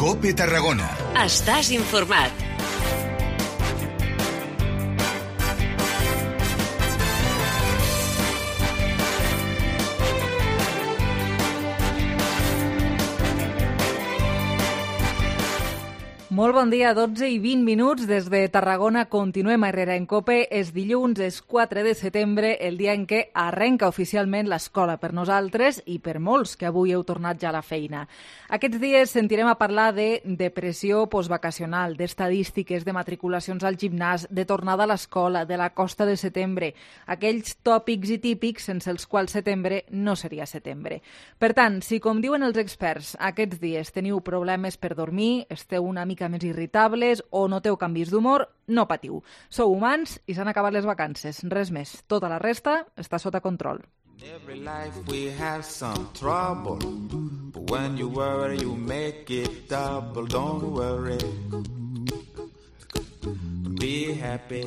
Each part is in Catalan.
COPE Tarragona. Estàs informat. Molt bon dia, 12 i 20 minuts des de Tarragona. Continuem a Herrera en COPE. És dilluns, és 4 de setembre, el dia en què arrenca oficialment l'escola per nosaltres i per molts que avui heu tornat ja a la feina. Aquests dies sentirem a parlar de depressió postvacacional, d'estadístiques, de matriculacions al gimnàs, de tornada a l'escola, de la costa de setembre, aquells tòpics i típics sense els quals setembre no seria setembre. Per tant, si com diuen els experts, aquests dies teniu problemes per dormir, esteu una mica més irritables o noteu canvis d'humor, no patiu. Sou humans i s'han acabat les vacances. Res més. Tota la resta està sota control. Every life we have some trouble, but when you worry you make it double. Don't worry, be happy.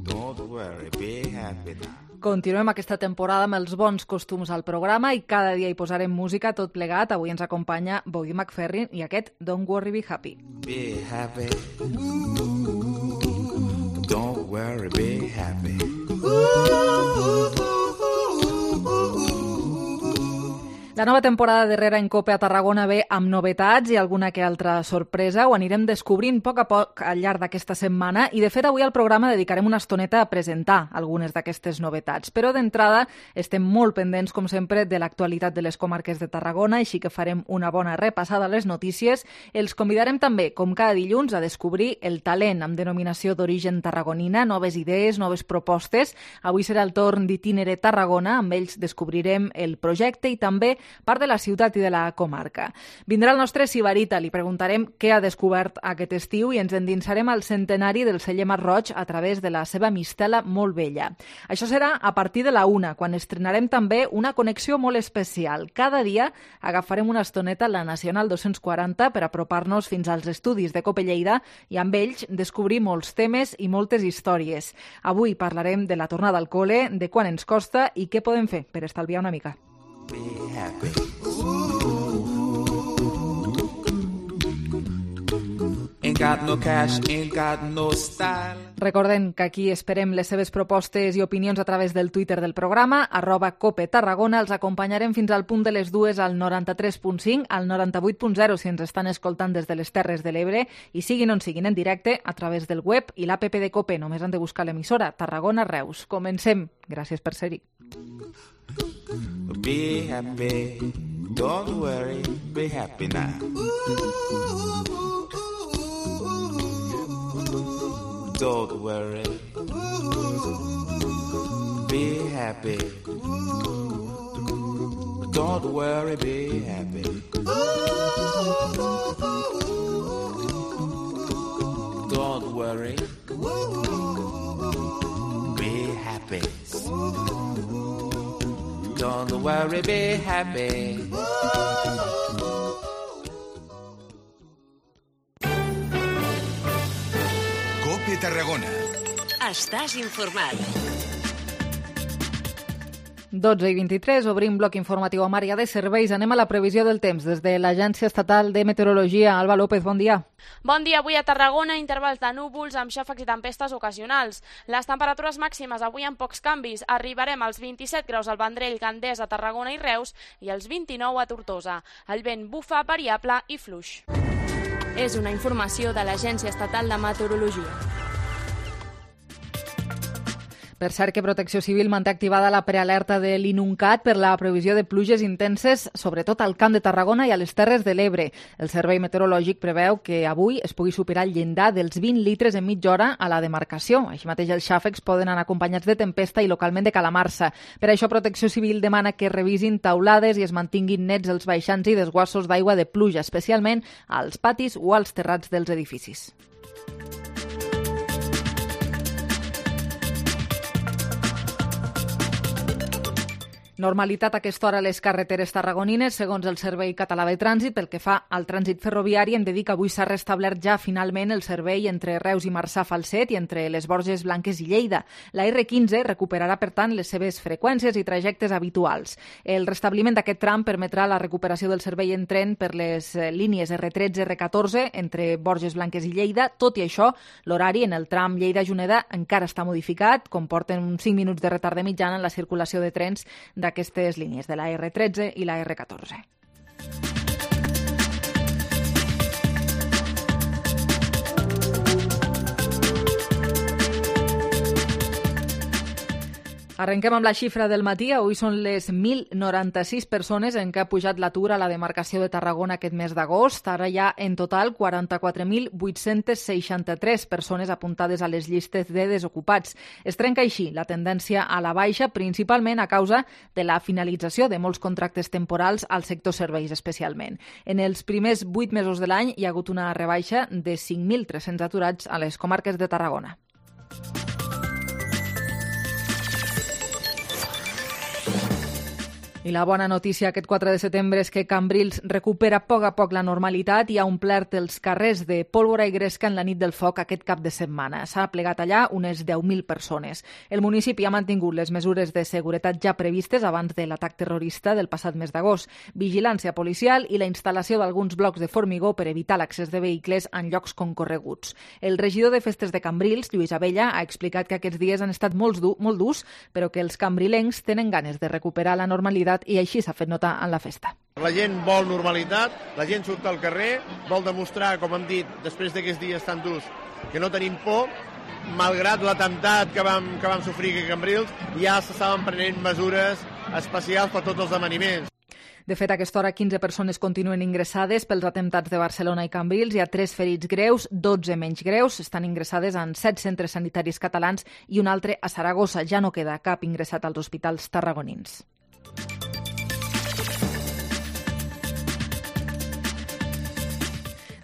Don't worry, be happy now. Continuem aquesta temporada amb els bons costums al programa i cada dia hi posarem música tot plegat. Avui ens acompanya Bobby McFerrin i aquest Don't Worry, Be Happy. Be happy. Don't worry, be happy. La nova temporada d'Herrera en COPE a Tarragona ve amb novetats i alguna que altra sorpresa. Ho anirem descobrint a poc al llarg d'aquesta setmana i, de fet, avui al programa dedicarem una estoneta a presentar algunes d'aquestes novetats. Però d'entrada estem molt pendents, com sempre, de l'actualitat de les comarques de Tarragona, així que farem una bona repassada a les notícies. Els convidarem també, com cada dilluns, a descobrir el talent amb denominació d'origen tarragonina, noves idees, noves propostes. Avui serà el torn d'Itinere Tarragona, amb ells descobrirem el projecte i també part de la ciutat i de la comarca. Vindrà el nostre Sibarita, li preguntarem què ha descobert aquest estiu i ens endinsarem al centenari del celler Masroig a través de la seva mistela molt vella. Això serà a partir de la 1, quan estrenarem també una connexió molt especial. Cada dia agafarem una estoneta a la Nacional 240 per apropar-nos fins als estudis de COPE Lleida i amb ells descobrir molts temes i moltes històries. Avui parlarem de la tornada al cole, de quan ens costa i què podem fer per estalviar una mica. Be happy. Ain't got no cash, ain't got no style. Recorden que aquí esperem les seves propostes i opinions a través del Twitter del programa, @COPE Tarragona. Els acompanyarem fins al punt de les 2 al 93.5, al 98.0 si ens estan escoltant des de les Terres de l'Ebre i siguin on siguin en directe a través del web i l'APP de COPE. Només han de buscar l'emissora Tarragona Reus. Comencem. Gràcies per ser-hi. Be happy, don't worry, be happy now. Don't worry, be happy. Don't worry, be happy. Don't worry, be happy. Don't worry, be happy. COPE Tarragona. Estàs informat. 12 i 23, obrim bloc informatiu amb àrea de serveis. Anem a la previsió del temps des de l'Agència Estatal de Meteorologia. Alba López, bon dia. Bon dia. Avui a Tarragona, intervals de núvols amb xàfecs i tempestes ocasionals. Les temperatures màximes avui amb pocs canvis. Arribarem als 27 graus al Vendrell, Gandesa, Tarragona i Reus i als 29 a Tortosa. El vent bufa variable i fluix. És una informació de l'Agència Estatal de Meteorologia. Per cert que Protecció Civil manté activada la prealerta de l'INUNCAT per la previsió de pluges intenses, sobretot al Camp de Tarragona i a les Terres de l'Ebre. El Servei Meteorològic preveu que avui es pugui superar el llindar dels 20 litres en mitja hora a la demarcació. Així mateix els xàfecs poden anar acompanyats de tempesta i localment de calamarsa. Per això Protecció Civil demana que revisin taulades i es mantinguin nets els baixants i desguassos d'aigua de pluja, especialment als patis o als terrats dels edificis. Normalitat a aquesta hora a les carreteres tarragonines, segons el Servei Català de Trànsit. Pel que fa al trànsit ferroviari, hem de dir que avui s'ha restablert ja finalment el servei entre Reus i Marçà-Falset i entre les Borges Blanques i Lleida. La R15 recuperarà, per tant, les seves freqüències i trajectes habituals. El restabliment d'aquest tram permetrà la recuperació del servei en tren per les línies R13 i R14 entre Borges Blanques i Lleida. Tot i això, l'horari en el tram Lleida-Juneda encara està modificat, comporten uns 5 minuts de retard de mitjana en la circulació de trens d'aquestes línies, de la R13 i la R14. Arrenquem amb la xifra del matí. Avui són les 1.096 persones en què ha pujat l'atur a la demarcació de Tarragona aquest mes d'agost. Ara hi ha en total 44.863 persones apuntades a les llistes de desocupats. Es trenca així la tendència a la baixa, principalment a causa de la finalització de molts contractes temporals al sector serveis especialment. En els primers 8 mesos de l'any hi ha hagut una rebaixa de 5.300 aturats a les comarques de Tarragona. I la bona notícia aquest 4 de setembre és que Cambrils recupera a poc la normalitat i ha omplert els carrers de pólvora i gresca en la nit del foc aquest cap de setmana. S'ha plegat allà unes 10.000 persones. El municipi ha mantingut les mesures de seguretat ja previstes abans de l'atac terrorista del passat mes d'agost, vigilància policial i la instal·lació d'alguns blocs de formigó per evitar l'accés de vehicles en llocs concorreguts. El regidor de festes de Cambrils, Lluís Abella, ha explicat que aquests dies han estat molt durs, però que els cambrilencs tenen ganes de recuperar la normalitat i així s'ha fet notar en la festa. La gent vol normalitat, la gent surt al carrer, vol demostrar, com hem dit, després d'aquests dies tan durs, que no tenim por, malgrat l'atemptat que vam sofrir a Cambrils, ja s'estaven prenent mesures especials per tots els amaniments. De fet, a aquesta hora 15 persones continuen ingressades pels atemptats de Barcelona i Cambrils. Hi ha 3 ferits greus, 12 menys greus. Estan ingressades en 7 centres sanitaris catalans i un altre a Saragossa. Ja no queda cap ingressat als hospitals tarragonins.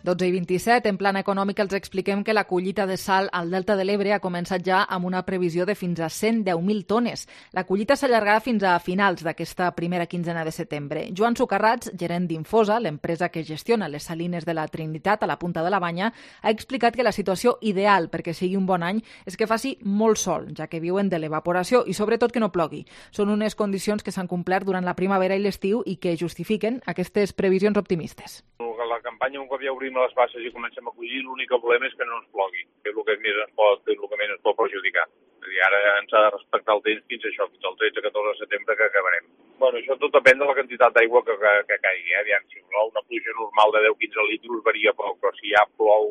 i 27, en plana econòmica els expliquem que la collita de sal al Delta de l'Ebre ha començat ja amb una previsió de fins a 110.000 tones. La collita s'allargarà fins a finals d'aquesta primera quinzena de setembre. Joan Socarrats, gerent d'Infosa, l'empresa que gestiona les salines de la Trinitat a la Punta de la Banya, ha explicat que la situació ideal perquè sigui un bon any és que faci molt sol, ja que viuen de l'evaporació i sobretot que no plogui. Són unes condicions que s'han complert durant la primavera i l'estiu i que justifiquen aquestes previsions optimistes. La campanya, un cop ja obrim les basses i comencem a collir, l'únic problema és que no ens plogui, que és el que més ens pot perjudicar. És a dir, ara ens ha de respectar el temps fins això, fins al 13-14 de setembre que acabarem. Bueno, això tot depèn de la quantitat d'aigua que caigui. Aviam, si plou una pluja normal de 10-15 litres varia poc, però si ja plou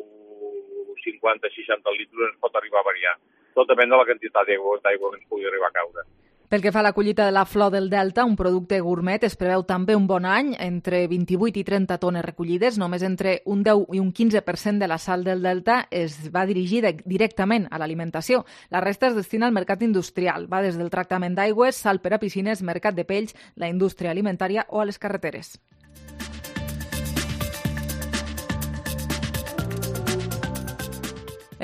50-60 litres ens pot arribar a variar. Tot depèn de la quantitat d'aigua que ens pugui arribar a caure. Pel que fa a la collita de la flor del Delta, un producte gourmet, es preveu també un bon any, entre 28 i 30 tones recollides. Només entre un 10 i un 15% de la sal del Delta es va dirigir directament a l'alimentació. La resta es destina al mercat industrial. Va des del tractament d'aigües, sal per a piscines, mercat de pells, la indústria alimentària o a les carreteres.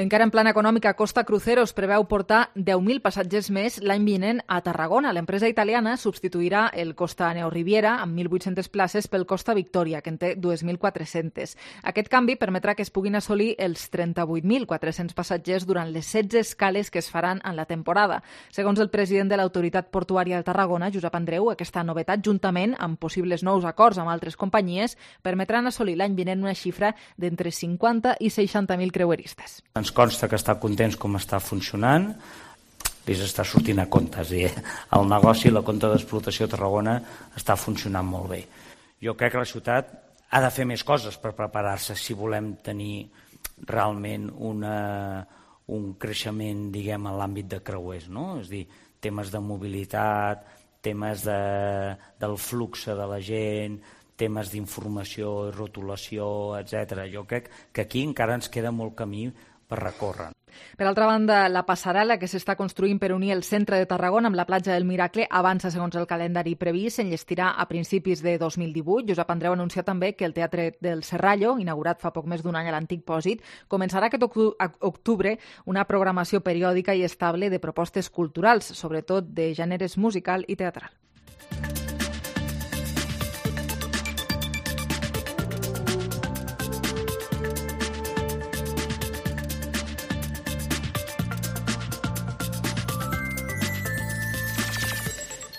Encara en plana econòmica, Costa Cruceros preveu portar 10.000 passatgers més l'any vinent a Tarragona. L'empresa italiana substituirà el Costa Neoriviera amb 1.800 places pel Costa Victoria, que en té 2.400. Aquest canvi permetrà que es puguin assolir els 38.400 passatgers durant les 16 escales que es faran en la temporada. Segons el president de l'Autoritat Portuària de Tarragona, Josep Andreu, aquesta novetat, juntament amb possibles nous acords amb altres companyies, permetran assolir l'any vinent una xifra d'entre 50 i 60.000 creueristes. Ens consta que està contents com està funcionant, li està sortint a compte, és a dir, el negoci i la compte d'explotació a Tarragona està funcionant molt bé. Jo crec que la ciutat ha de fer més coses per preparar-se si volem tenir realment un creixement, diguem, en l'àmbit de creuers, no? És a dir, temes de mobilitat, temes del flux de la gent, temes d'informació i rotulació, etc. Jo crec que aquí encara ens queda molt camí per recórrer. Per altra banda, la passarel·la que s'està construint per unir el centre de Tarragona amb la platja del Miracle avança segons el calendari previst, s'enllestirà a principis de 2018. Josep Andreu ha anunciat també que el Teatre del Serrallo, inaugurat fa poc més d'un any a l'antic Pòsit, començarà aquest octubre una programació periòdica i estable de propostes culturals, sobretot de gèneres musical i teatral.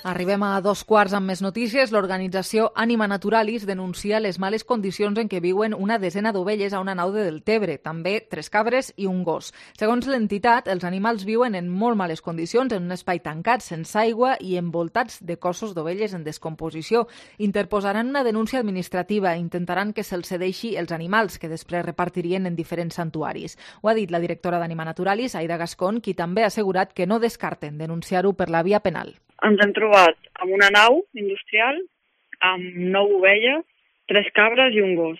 Arribem a 2:15 amb més notícies. L'organització Anima Naturalis denuncia les males condicions en què viuen una desena d'ovelles a una nau de Deltebre, també 3 cabres i un gos. Segons l'entitat, els animals viuen en molt males condicions, en un espai tancat, sense aigua i envoltats de cossos d'ovelles en descomposició. Interposaran una denúncia administrativa i intentaran que se'ls cedeixi els animals, que després repartirien en diferents santuaris. Ho ha dit la directora d'Anima Naturalis, Aida Gascón, qui també ha assegurat que no descarten denunciar-ho per la via penal. Ens hem trobat amb una nau industrial, amb 9 ovelles, 3 cabres i un gos.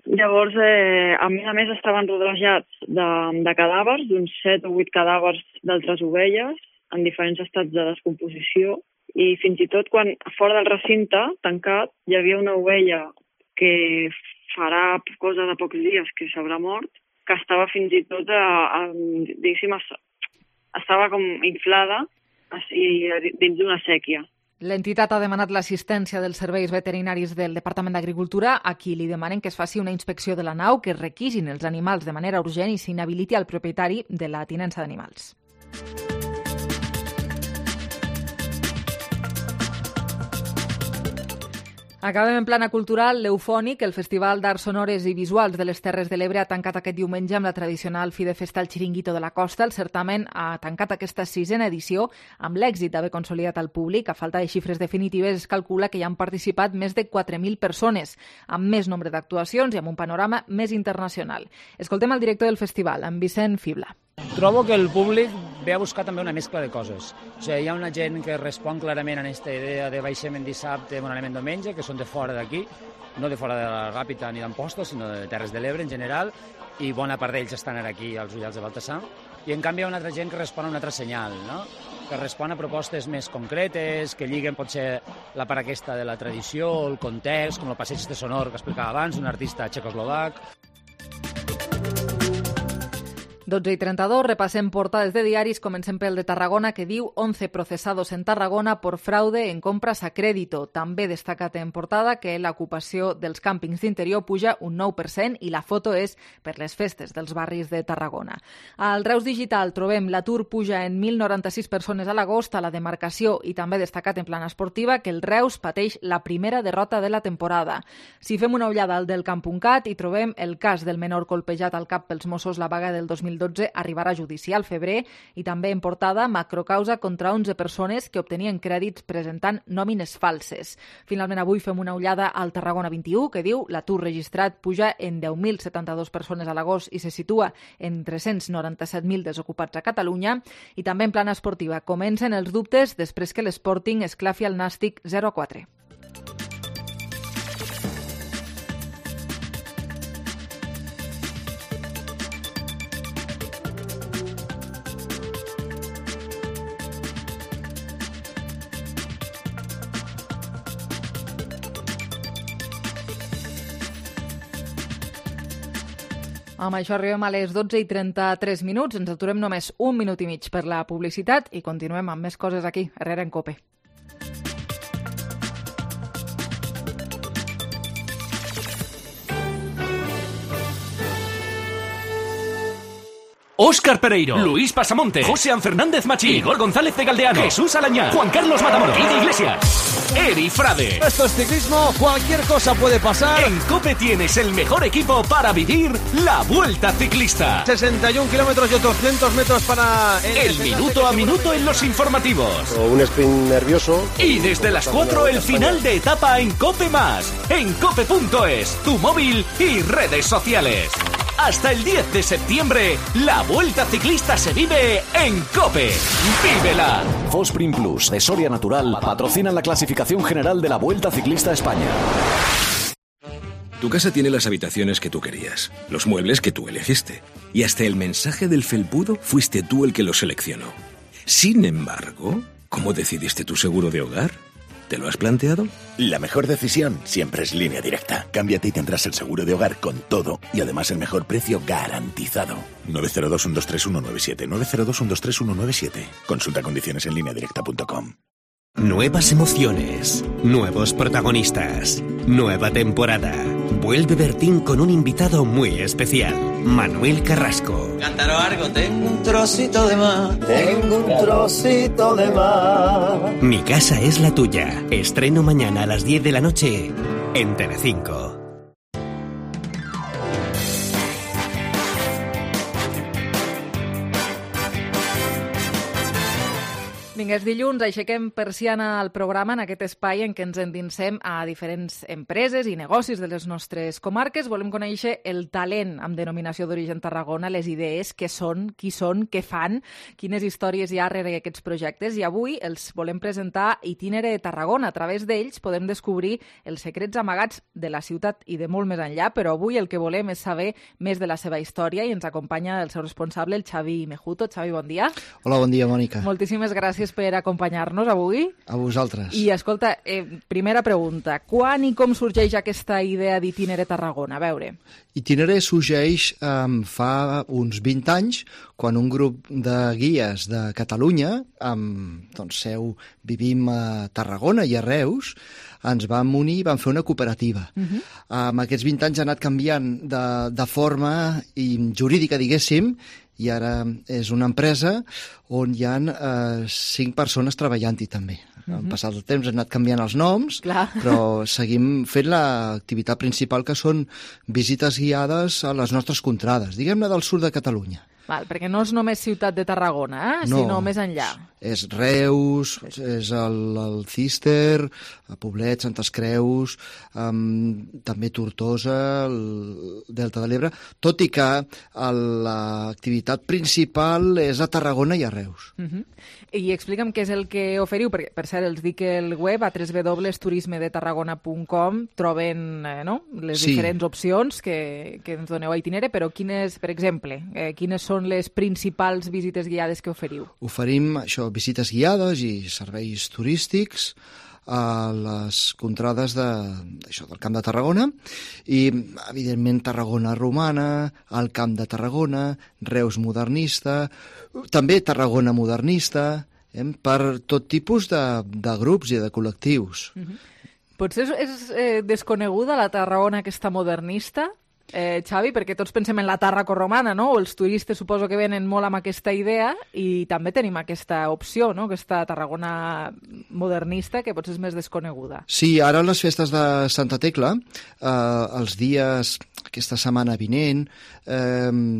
Llavors, a més, estaven rodejats de cadàvers, d'uns 7 o 8 cadàvers d'altres ovelles, en diferents estats de descomposició, i fins i tot quan fora del recinte tancat hi havia una ovella que farà cosa de pocs dies que s'haurà mort, que estava fins i tot, diguéssim, estava com inflada i dins d'una sèquia. L'entitat ha demanat l'assistència dels serveis veterinaris del Departament d'Agricultura, a qui li demanen que es faci una inspecció de la nau, que es requisin els animals de manera urgent i s'inhabiliti al propietari de la tinença d'animals. Acabem en plana cultural. L'Eufònic, el Festival d'Arts Sonores i Visuals de les Terres de l'Ebre, ha tancat aquest diumenge amb la tradicional fi de festa al Xiringuito de la Costa. El certamen ha tancat aquesta 6a edició amb l'èxit d'haver consolidat al públic. A falta de xifres definitives, es calcula que hi han participat més de 4.000 persones, amb més nombre d'actuacions i amb un panorama més internacional. Escoltem el director del festival, en Vicent Fibla. Trobo que el públic ve a buscar també una mescla de coses. O sigui, hi ha una gent que respon clarament a aquesta idea de baixem en dissabte, bon anem en diumenge, que són de fora d'aquí, no de fora de la Ràpita ni d'Amposta, sinó de Terres de l'Ebre en general, i bona part d'ells estan aquí als Ullals de Baltasar. I en canvi hi ha una altra gent que respon a un altre senyal, no? Que respon a propostes més concretes, que lliguen potser la part aquesta de la tradició, el context, com el passeig de sonor que explicava abans, un artista txecoslovac. 12:32, repassem portades de diaris. Comencem pel de Tarragona, que diu 11 procesados en Tarragona por fraude en compras a crédito. També destacat en portada que l'ocupació dels càmpings d'interior puja un 9% i la foto és per les festes dels barris de Tarragona. Al Reus Digital trobem l'atur puja en 1.096 persones a l'agost a la demarcació i també destacat en plana esportiva que el Reus pateix la primera derrota de la temporada. Si fem una ullada al del Camp.cat hi trobem el cas del menor colpejat al cap pels Mossos la vaga del 2012 arribarà a judici al febrer i també en portada macrocausa contra 11 persones que obtenien crèdits presentant nòmines falses. Finalment avui fem una ullada al Tarragona 21 que diu l'atur registrat puja en 10.072 persones a l'agost i se situa en 397.000 desocupats a Catalunya i també en plana esportiva comencen els dubtes després que l'Sporting esclafi al Nàstic 0-4. Amb això arribem a les 12:33. Ens aturem només un minut i mig per la publicitat i continuem amb més coses aquí, Herrera en Cope. Óscar Pereiro, Luis Pasamonte, José Fernández Machín, Igor González de Galdeano, Jesús Alañá, Juan Carlos Matamoros, Guido Iglesias, Eri Frade. Esto es ciclismo, cualquier cosa puede pasar. En COPE tienes el mejor equipo para vivir la Vuelta Ciclista. 61 kilómetros y otros 200 metros para... El minuto a minuto en los informativos. Un sprint nervioso. Y desde las 4 el final de etapa en COPE+, en cope.es, tu móvil y redes sociales. Hasta el 10 de septiembre, la Vuelta Ciclista se vive en COPE. ¡Vívela! Fosprin Plus de Soria Natural patrocinan la clasificación general de la Vuelta Ciclista a España. Tu casa tiene las habitaciones que tú querías, los muebles que tú elegiste, y hasta el mensaje del felpudo fuiste tú el que lo seleccionó. Sin embargo, ¿cómo decidiste tu seguro de hogar? ¿Te lo has planteado? La mejor decisión siempre es Línea Directa. Cámbiate y tendrás el seguro de hogar con todo y además el mejor precio garantizado. 902-123-197. 902-123-197. Consulta condiciones en lineadirecta.com. Nuevas emociones, nuevos protagonistas, nueva temporada. Vuelve Bertín con un invitado muy especial, Manuel Carrasco. Cantaros algo, tengo un trocito de mar. Tengo un trocito de mar. Mi casa es la tuya. Estreno mañana a las 10 de la noche en Telecinco. Vinga, és dilluns, aixequem persiana al programa en aquest espai en què ens endinsem a diferents empreses i negocis de les nostres comarques. Volem conèixer el talent amb denominació d'origen Tarragona, les idees, què són, qui són, què fan, quines històries hi ha darrere aquests projectes. I avui els volem presentar Itinere Tarragona. A través d'ells podem descobrir els secrets amagats de la ciutat i de molt més enllà, però avui el que volem és saber més de la seva història i ens acompanya el seu responsable, el Xavi Mejuto. Xavi, bon dia. Hola, bon dia, Mònica. Moltíssimes gràcies per acompanyar-nos avui. A vosaltres. I escolta, primera pregunta, quan i com sorgeix aquesta idea d'Itinere Tarragona? A veure. Itinere sorgeix fa uns 20 anys, quan un grup de guies de Catalunya, doncs seu vivim a Tarragona i a Reus, ens vam unir i vam fer una cooperativa. Amb aquests 20 anys ha anat canviant de forma jurídica, diguéssim, i ara és una empresa on hi ha 5 persones treballant-hi també. En passat el temps han anat canviant els noms, però seguim fent l'activitat principal, que són visites guiades a les nostres contrades, diguem-ne del sud de Catalunya. Val, perquè no és només ciutat de Tarragona, sinó més enllà. És Reus, és el Cister, Poblet, Santes Creus, també Tortosa, el Delta de l'Ebre, tot i que l'activitat principal és a Tarragona i a Reus. I explica'm què és el que oferiu, perquè, per cert, els dic el web, a www.turismedetarragona.com, troben les diferents opcions que ens doneu a Itinere, però quines, per exemple, quines són les principals visites guiades que oferiu? Oferim visites guiades i serveis turístics a les contrades del Camp de Tarragona i, evidentment, Tarragona romana, el Camp de Tarragona, Reus modernista, també Tarragona modernista, per tot tipus de grups i de col·lectius. Potser és desconeguda la Tarragona aquesta modernista, Xavi, perquè tots pensem en la Tàrraco romana, no? Els turistes suposo que venen molt amb aquesta idea i també tenim aquesta opció, no? Aquesta Tarragona modernista que potser és més desconeguda. Sí, ara les festes de Santa Tecla, els dies, aquesta setmana vinent,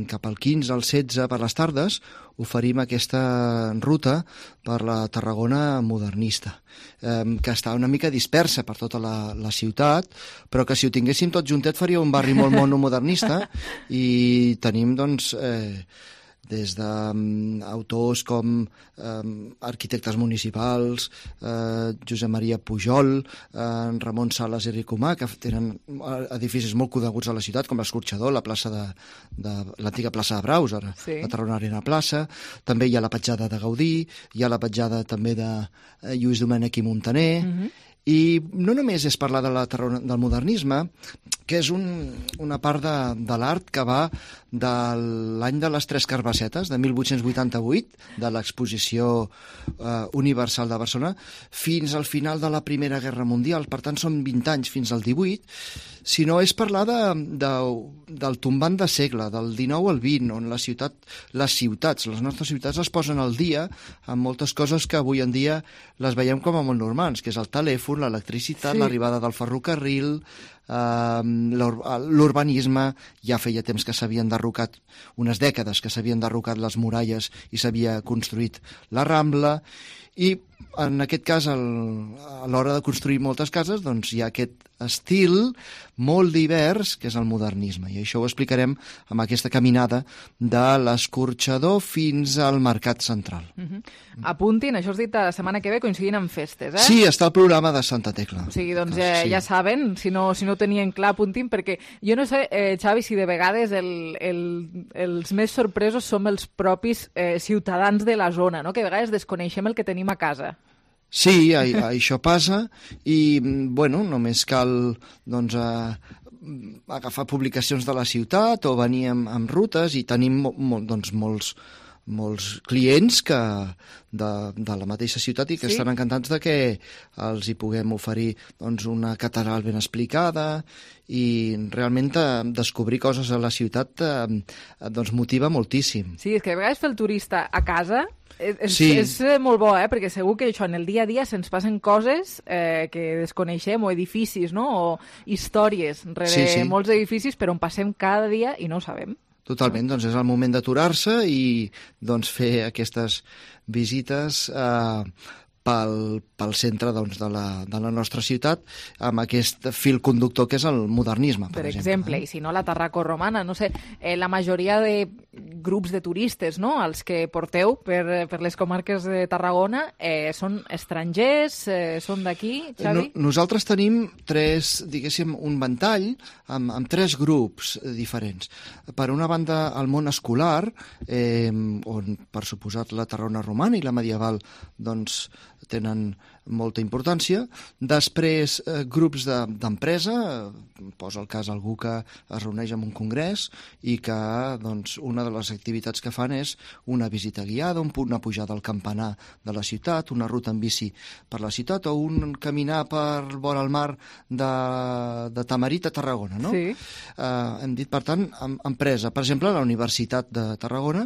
cap al 15 al 16 per les tardes, oferim aquesta ruta per la Tarragona modernista, que està una mica dispersa per tota la ciutat, però que si ho tinguéssim tot juntet faria un barri molt modernista i tenim, doncs, des d'autors com arquitectes municipals, Josep Maria Pujol, Ramon Sales i Ricomà, que tenen edificis molt coneguts a la ciutat, com l'Escorxador, la plaça l'antiga plaça de Braus, ara la Tarragona Arena Plaça, també hi ha la petjada de Gaudí, hi ha la petjada també de Lluís Domènech i Montaner, i no només és parlar del modernisme, que és una part de l'art que va de l'any de les Tres Carbassetes, de 1888, de l'exposició universal de Barcelona, fins al final de la Primera Guerra Mundial. Per tant, són 20 anys fins al 18, sinó és parlar del tombant de segle, del 19 al 20, on les ciutats, les nostres ciutats es posen al dia amb moltes coses que avui en dia les veiem com a molt normals, que és el telèfon, l'electricitat, l'arribada del ferrocarril, l'urbanisme. Ja feia temps que s'havien derrocat, unes dècades que s'havien derrocat les muralles i s'havia construït la Rambla, i en aquest cas, a l'hora de construir moltes cases, doncs hi ha aquest estil molt divers, que és el modernisme. I això ho explicarem amb aquesta caminada de l'Escorxador fins al Mercat Central. Apuntin, això has dit la setmana que ve, coincidint amb festes, eh? Sí, està el programa de Santa Tecla. O sigui, doncs ja saben, si no ho tenien clar, apuntin, perquè jo no sé, Xavi, si de vegades els més sorpresos som els propis ciutadans de la zona, no? Que a vegades desconeixem el que tenim a casa. Sí, això passa i, bueno, només cal agafar publicacions de la ciutat o venir amb rutes i tenim molts molts clients de la mateixa ciutat i que estan encantats de que els hi puguem oferir doncs, una catedral ben explicada i realment descobrir coses a la ciutat doncs, motiva moltíssim. Sí, és que a vegades fer el turista a casa és molt bo, perquè segur que això en el dia a dia se'ns passen coses que desconeixem, o edificis, no? O històries rere molts edificis per on passem cada dia i no ho sabem. Totalment, doncs és el moment d'aturar-se i doncs, fer aquestes visites pel centre doncs, de la nostra ciutat amb aquest fil conductor que és el modernisme, per exemple. I si no, la Tarraco romana, no sé, la majoria de grups de turistes, no?, els que porteu per les comarques de Tarragona, són estrangers, són d'aquí, Xavi? Nosaltres tenim un ventall amb 3 grups diferents. Per una banda, el món escolar, on, per suposat, la Tarragona romana i la medieval, doncs, tenen molta importància. Després, grups d'empresa, posa el cas algú que es reuneix en un congrés i que doncs, una de les activitats que fan és una visita guiada, una pujada al campanar de la ciutat, una ruta en bici per la ciutat o un caminar per vora el mar de Tamarit a Tarragona, no? Sí. Hem dit, per tant, empresa. Per exemple, a la Universitat de Tarragona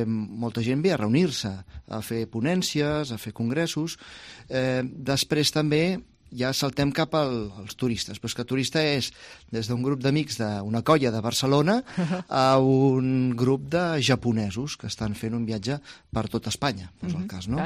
molta gent ve a reunir-se, a fer ponències, a fer congressos. Després també ja saltem cap als turistes, però és que turista és des d'un grup d'amics d'una colla de Barcelona a un grup de japonesos que estan fent un viatge per tot Espanya, és el cas, no?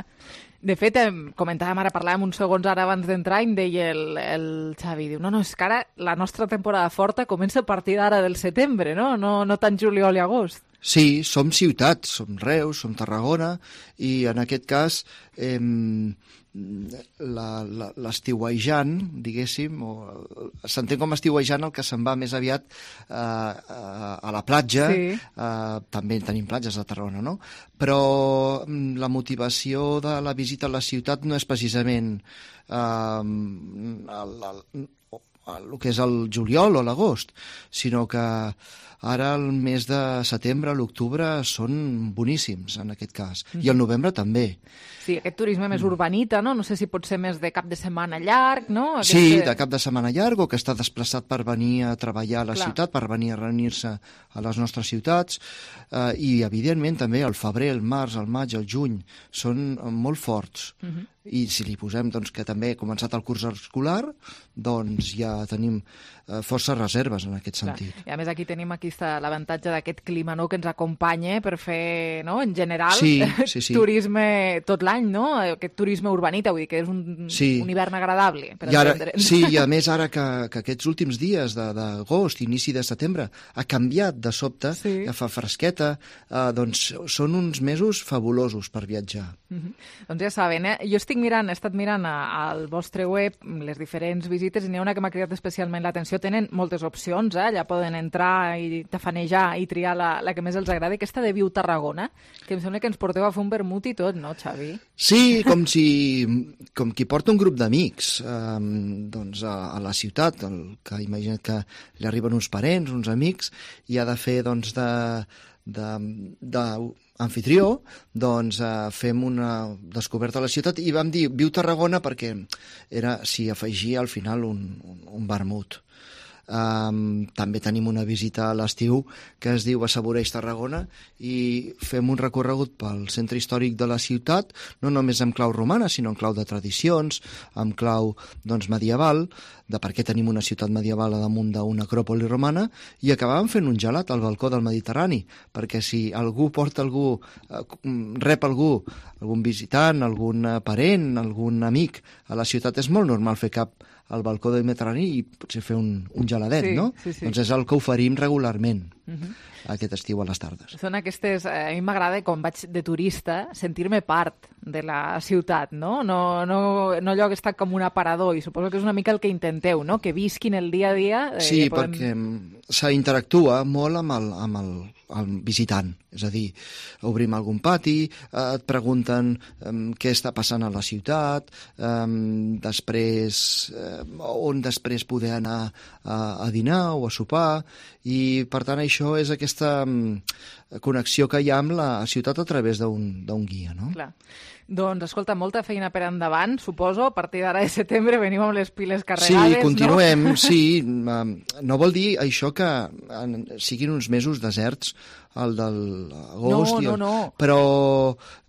De fet, comentàvem ara, parlàvem uns segons ara abans d'entrar i em deia el Xavi, diu, no, és que ara la nostra temporada forta comença a partir d'ara del setembre, no? No tant juliol i agost. Sí, som ciutats, som Reus, som Tarragona, i en aquest cas l'estiuejant, diguéssim, s'entén com estiuejant el que se'n va més aviat a la platja, també tenim platges a Tarragona, no? Però la motivació de la visita a la ciutat no és precisament el que és el juliol o l'agost, sinó que ara el mes de setembre, l'octubre són boníssims en aquest cas, i el novembre també. Sí, aquest turisme més urbanita, no? No sé si pot ser més de cap de setmana llarg, no? Sí, de cap de setmana llarg, o que està desplaçat per venir a treballar a la ciutat, per venir a reunir-se a les nostres ciutats, i evidentment també el febrer, el març, el maig, el juny són molt forts. I si li posem doncs, que també ha començat el curs escolar, doncs ja tenim força reserves en aquest sentit. I a més aquí tenim l'avantatge d'aquest clima, no?, que ens acompanya per fer, no?, en general, turisme tot l'any, no? Aquest turisme urbanita, vull dir que és un hivern agradable per entendre'ns. Sí, i a més ara que aquests últims dies d'agost, inici de setembre, ha canviat de sobte, ja fa fresqueta, doncs són uns mesos fabulosos per viatjar. Doncs ja saben, jo he estat mirant al vostre web les diferents visites i n'hi ha una que m'ha cridat especialment l'atenció. Tenen moltes opcions, allà poden entrar i tafanejar i triar la que més els agrada. Aquesta de Viu Tarragona, que em sembla que ens porteu a fer un vermut i tot, no, Xavi? Sí, com qui porta un grup d'amics doncs a la ciutat, que imagina't que li arriben uns parents, uns amics, i ha de fer doncs d'anfitrió, doncs fem una descoberta a la ciutat i vam dir Viu Tarragona perquè s'hi afegia al final un vermut. També tenim una visita a l'estiu que es diu Assaboreix Tarragona i fem un recorregut pel centre històric de la ciutat, no només en clau romana, sinó en clau de tradicions, en clau medieval, de per què tenim una ciutat medieval a damunt d'una acròpoli romana, i acabàvem fent un gelat al balcó del Mediterrani, perquè si algú porta rep algun visitant, algun parent, algun amic a la ciutat, és molt normal fer cap al balcó del Mediterrani i potser fer un geladet, no? Doncs és el que oferim regularment aquest estiu a les tardes. Són aquestes... A mi m'agrada, quan vaig de turista, sentir-me part de la ciutat, no? No allò que està com un aparador, i suposo que és una mica el que intenteu, no? Que visquin el dia a dia. Sí, perquè s'interactua molt amb el visitant. És a dir, obrim algun pati, et pregunten què està passant a la ciutat, després on després poder anar a dinar o a sopar, i per tant això és aquesta connexió que hi ha amb la ciutat a través d'un guia, no? Clar. Doncs, escolta, molta feina per endavant, suposo. A partir d'ara de setembre venim amb les piles carregades, sí, continuem, no? Sí. No vol dir això que siguin uns mesos deserts, el de l'agost. No. Però,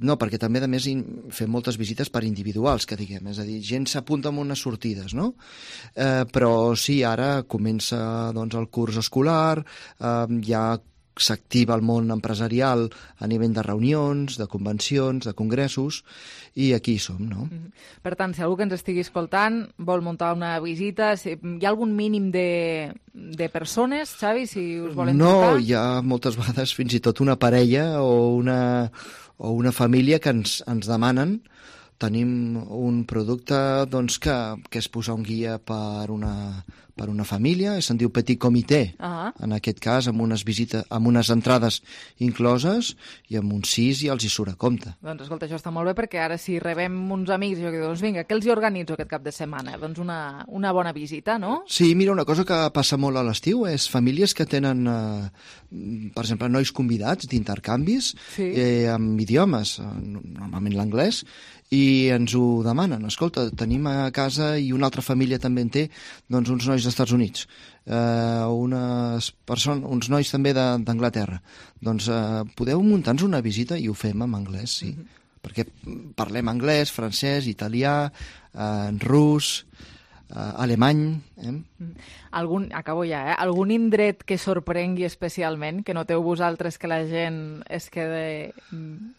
no, perquè també, a més, fem moltes visites per individuals, que diguem. És a dir, gent s'apunta amb unes sortides, no? Però sí, ara comença doncs, el curs escolar, ja s'activa el món empresarial a nivell de reunions, de convencions, de congressos, i aquí som, no? Per tant, si algú que ens estigui escoltant vol muntar una visita, hi ha algun mínim de persones, Xavi, si us volen trucar? No, hi ha moltes vegades fins i tot una parella o una família que ens demanen. Tenim un producte doncs, que és posar un guia per una família, se'n diu Petit Comité, en aquest cas, amb unes entrades incloses, i amb uns 6 ja els hi surt a compte. Doncs escolta, això està molt bé, perquè ara si rebem uns amics, jo que dic, doncs vinga, què els hi organitzo aquest cap de setmana? Doncs una bona visita, no? Sí, mira, una cosa que passa molt a l'estiu és famílies que tenen, per exemple, nois convidats d'intercanvis amb idiomes, normalment l'anglès, i ens ho demanen. Escolta, tenim a casa, i una altra família també en té, doncs uns nois dels Estats Units, uns nois també d'Anglaterra. Doncs podeu muntar-nos una visita, i ho fem en anglès, sí. Perquè parlem anglès, francès, italià, rus, alemany. Acabo ja, algun indret que sorprengui especialment, que noteu vosaltres que la gent es quede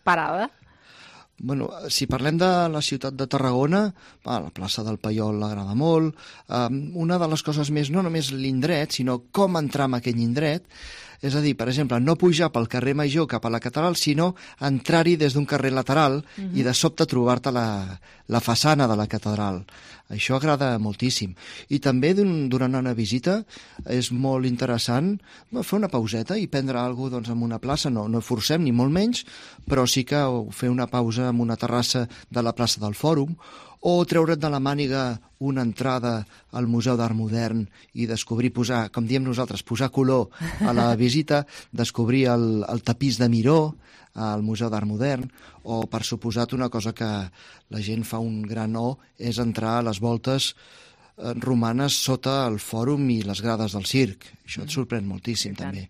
parada? Bueno, si parlem de la ciutat de Tarragona, la plaça del Paiol l'agrada molt. Una de les coses més, no només l'indret, sinó com entrar en aquell indret. És a dir, per exemple, no pujar pel carrer Major cap a la catedral, sinó entrar-hi des d'un carrer lateral i de sobte trobar-te la façana de la catedral. Això agrada moltíssim. I també durant una visita és molt interessant fer una pauseta i prendre alguna cosa doncs, en una plaça. No forcem, ni molt menys, però sí que fer una pausa en una terrassa de la plaça del Fòrum, o treure't de la màniga una entrada al Museu d'Art Modern i descobrir, com diem nosaltres, posar color a la visita, descobrir el tapís de Miró al Museu d'Art Modern, o, per suposat, una cosa que la gent fa un gran és entrar a les voltes romanes sota el Fòrum i les grades del circ. Això et sorprèn moltíssim, també.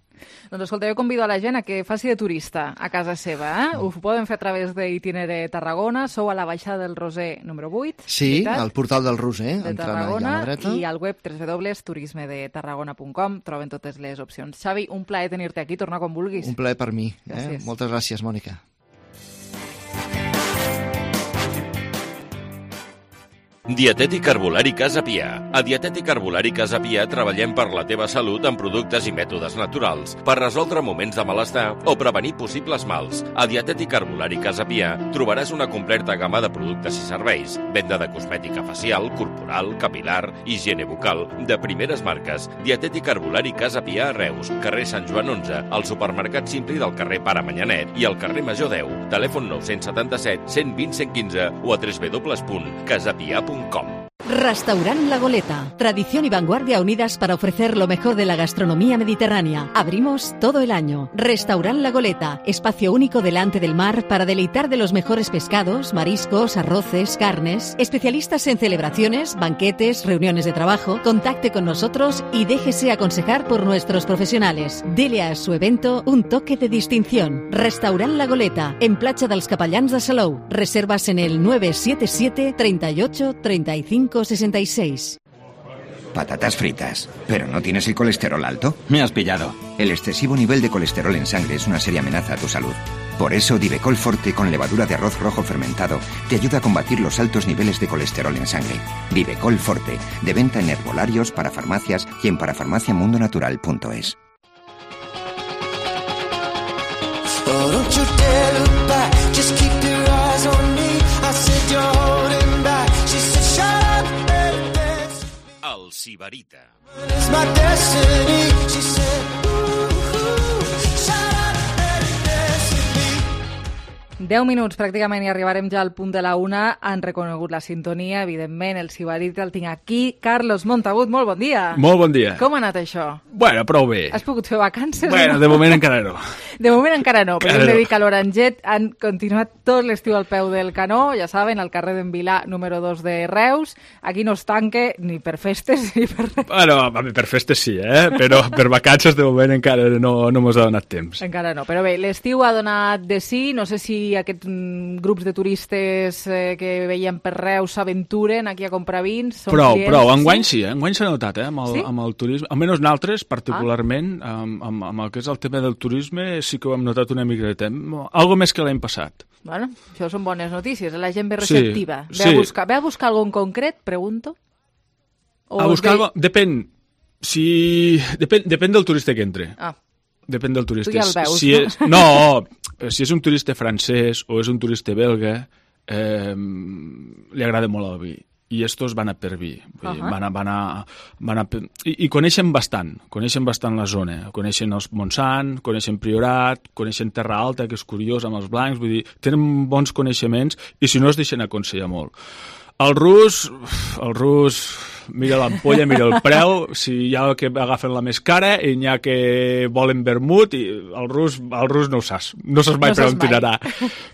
Doncs escolta, jo convido a la gent a que faci de turista a casa seva. Ho poden fer a través d'Itinere Tarragona. Sou a la baixada del Roser número 8. Sí, al portal del Roser, de Tarragona, i al web www.turismedetarragona.com troben totes les opcions. Xavi, un plaer tenir-te aquí. Torna quan vulguis. Un plaer per mi. Moltes gràcies, Mònica. Dietètic Herbolari Casa Pia. A Dietètic Herbolari Casa Pia treballem per la teva salut amb productes i mètodes naturals, per resoldre moments de malestar o prevenir possibles mals. A Dietètic Herbolari Casa Pia trobaràs una completa gamma de productes i serveis, venda de cosmètica facial, corporal, capilar, higiene bucal, de primeres marques. Dietètic Herbolari Casa Pia a Reus, carrer Sant Joan 11, al supermercat Simpli del carrer Pare Manyanet i al carrer Major 10. Telèfon 977 120 115 o a www.casapia.com. Restaurant La Goleta. Tradición y vanguardia unidas para ofrecer lo mejor de la gastronomía mediterránea. Abrimos todo el año. Restaurant La Goleta. Espacio único delante del mar para deleitar de los mejores pescados, mariscos, arroces, carnes. Especialistas en celebraciones, banquetes, reuniones de trabajo. Contacte con nosotros y déjese aconsejar por nuestros profesionales. Dele a su evento un toque de distinción. Restaurant La Goleta. En Platja dels Capellans de Salou. Reservas en el 977 38 35 66. Patatas fritas. ¿Pero no tienes el colesterol alto? Me has pillado. El excesivo nivel de colesterol en sangre es una seria amenaza a tu salud. Por eso, Divecol Forte con levadura de arroz rojo fermentado te ayuda a combatir los altos niveles de colesterol en sangre. Divecol Forte, de venta en herbolarios, para farmacias y en parafarmaciamundonatural.es. El Sibarita. 10 minuts pràcticament i arribarem ja al punt de la 1. Han reconegut la sintonia, evidentment, el Sibarit el tinc aquí. Carlos Montagut, molt bon dia. Molt bon dia. Com ha anat això? Bueno, prou bé. Has pogut fer vacances? Bueno, de moment encara no. De moment encara no, però hem de dir que a l'Oranget han continuat tot l'estiu al peu del canó, ja saben, al carrer d'en Vilà, número 2 de Reus. Aquí no es tanque ni per festes ni per res. Bueno, per festes sí, però per vacances de moment encara no mos ha donat temps. Encara no, però bé, l'estiu ha donat de sí. No sé si aquests grups de turistes que veiem per Reus s'aventuren aquí a comprar vins. Prou, enguany sí, enguany s'ha notat, amb el turisme. Almenys nosaltres, particularment, amb el que és el tema del turisme, sí que ho hem notat una mica de temps. Algo més que l'any passat. Bueno, això són bones notícies, la gent ve receptiva. Sí. Ve a buscar algo en concret, pregunto? A buscar algo... Depèn del turista que entre. Depèn del turista. Tu ja el veus, no? Si és un turista francès o és un turista belga, li agrada molt el vi. I estos van a per vi. I coneixen bastant la zona. Coneixen els Montsant, coneixen Priorat, coneixen Terra Alta, que és curiós, amb els blancs. Vull dir, tenen bons coneixements i si no es deixen aconsellar molt. El rus, mira l'ampolla, mira el preu, si hi ha que agafen la més cara i n'hi ha que volen vermut, i el rus no ho saps, no saps mai per on tirarà.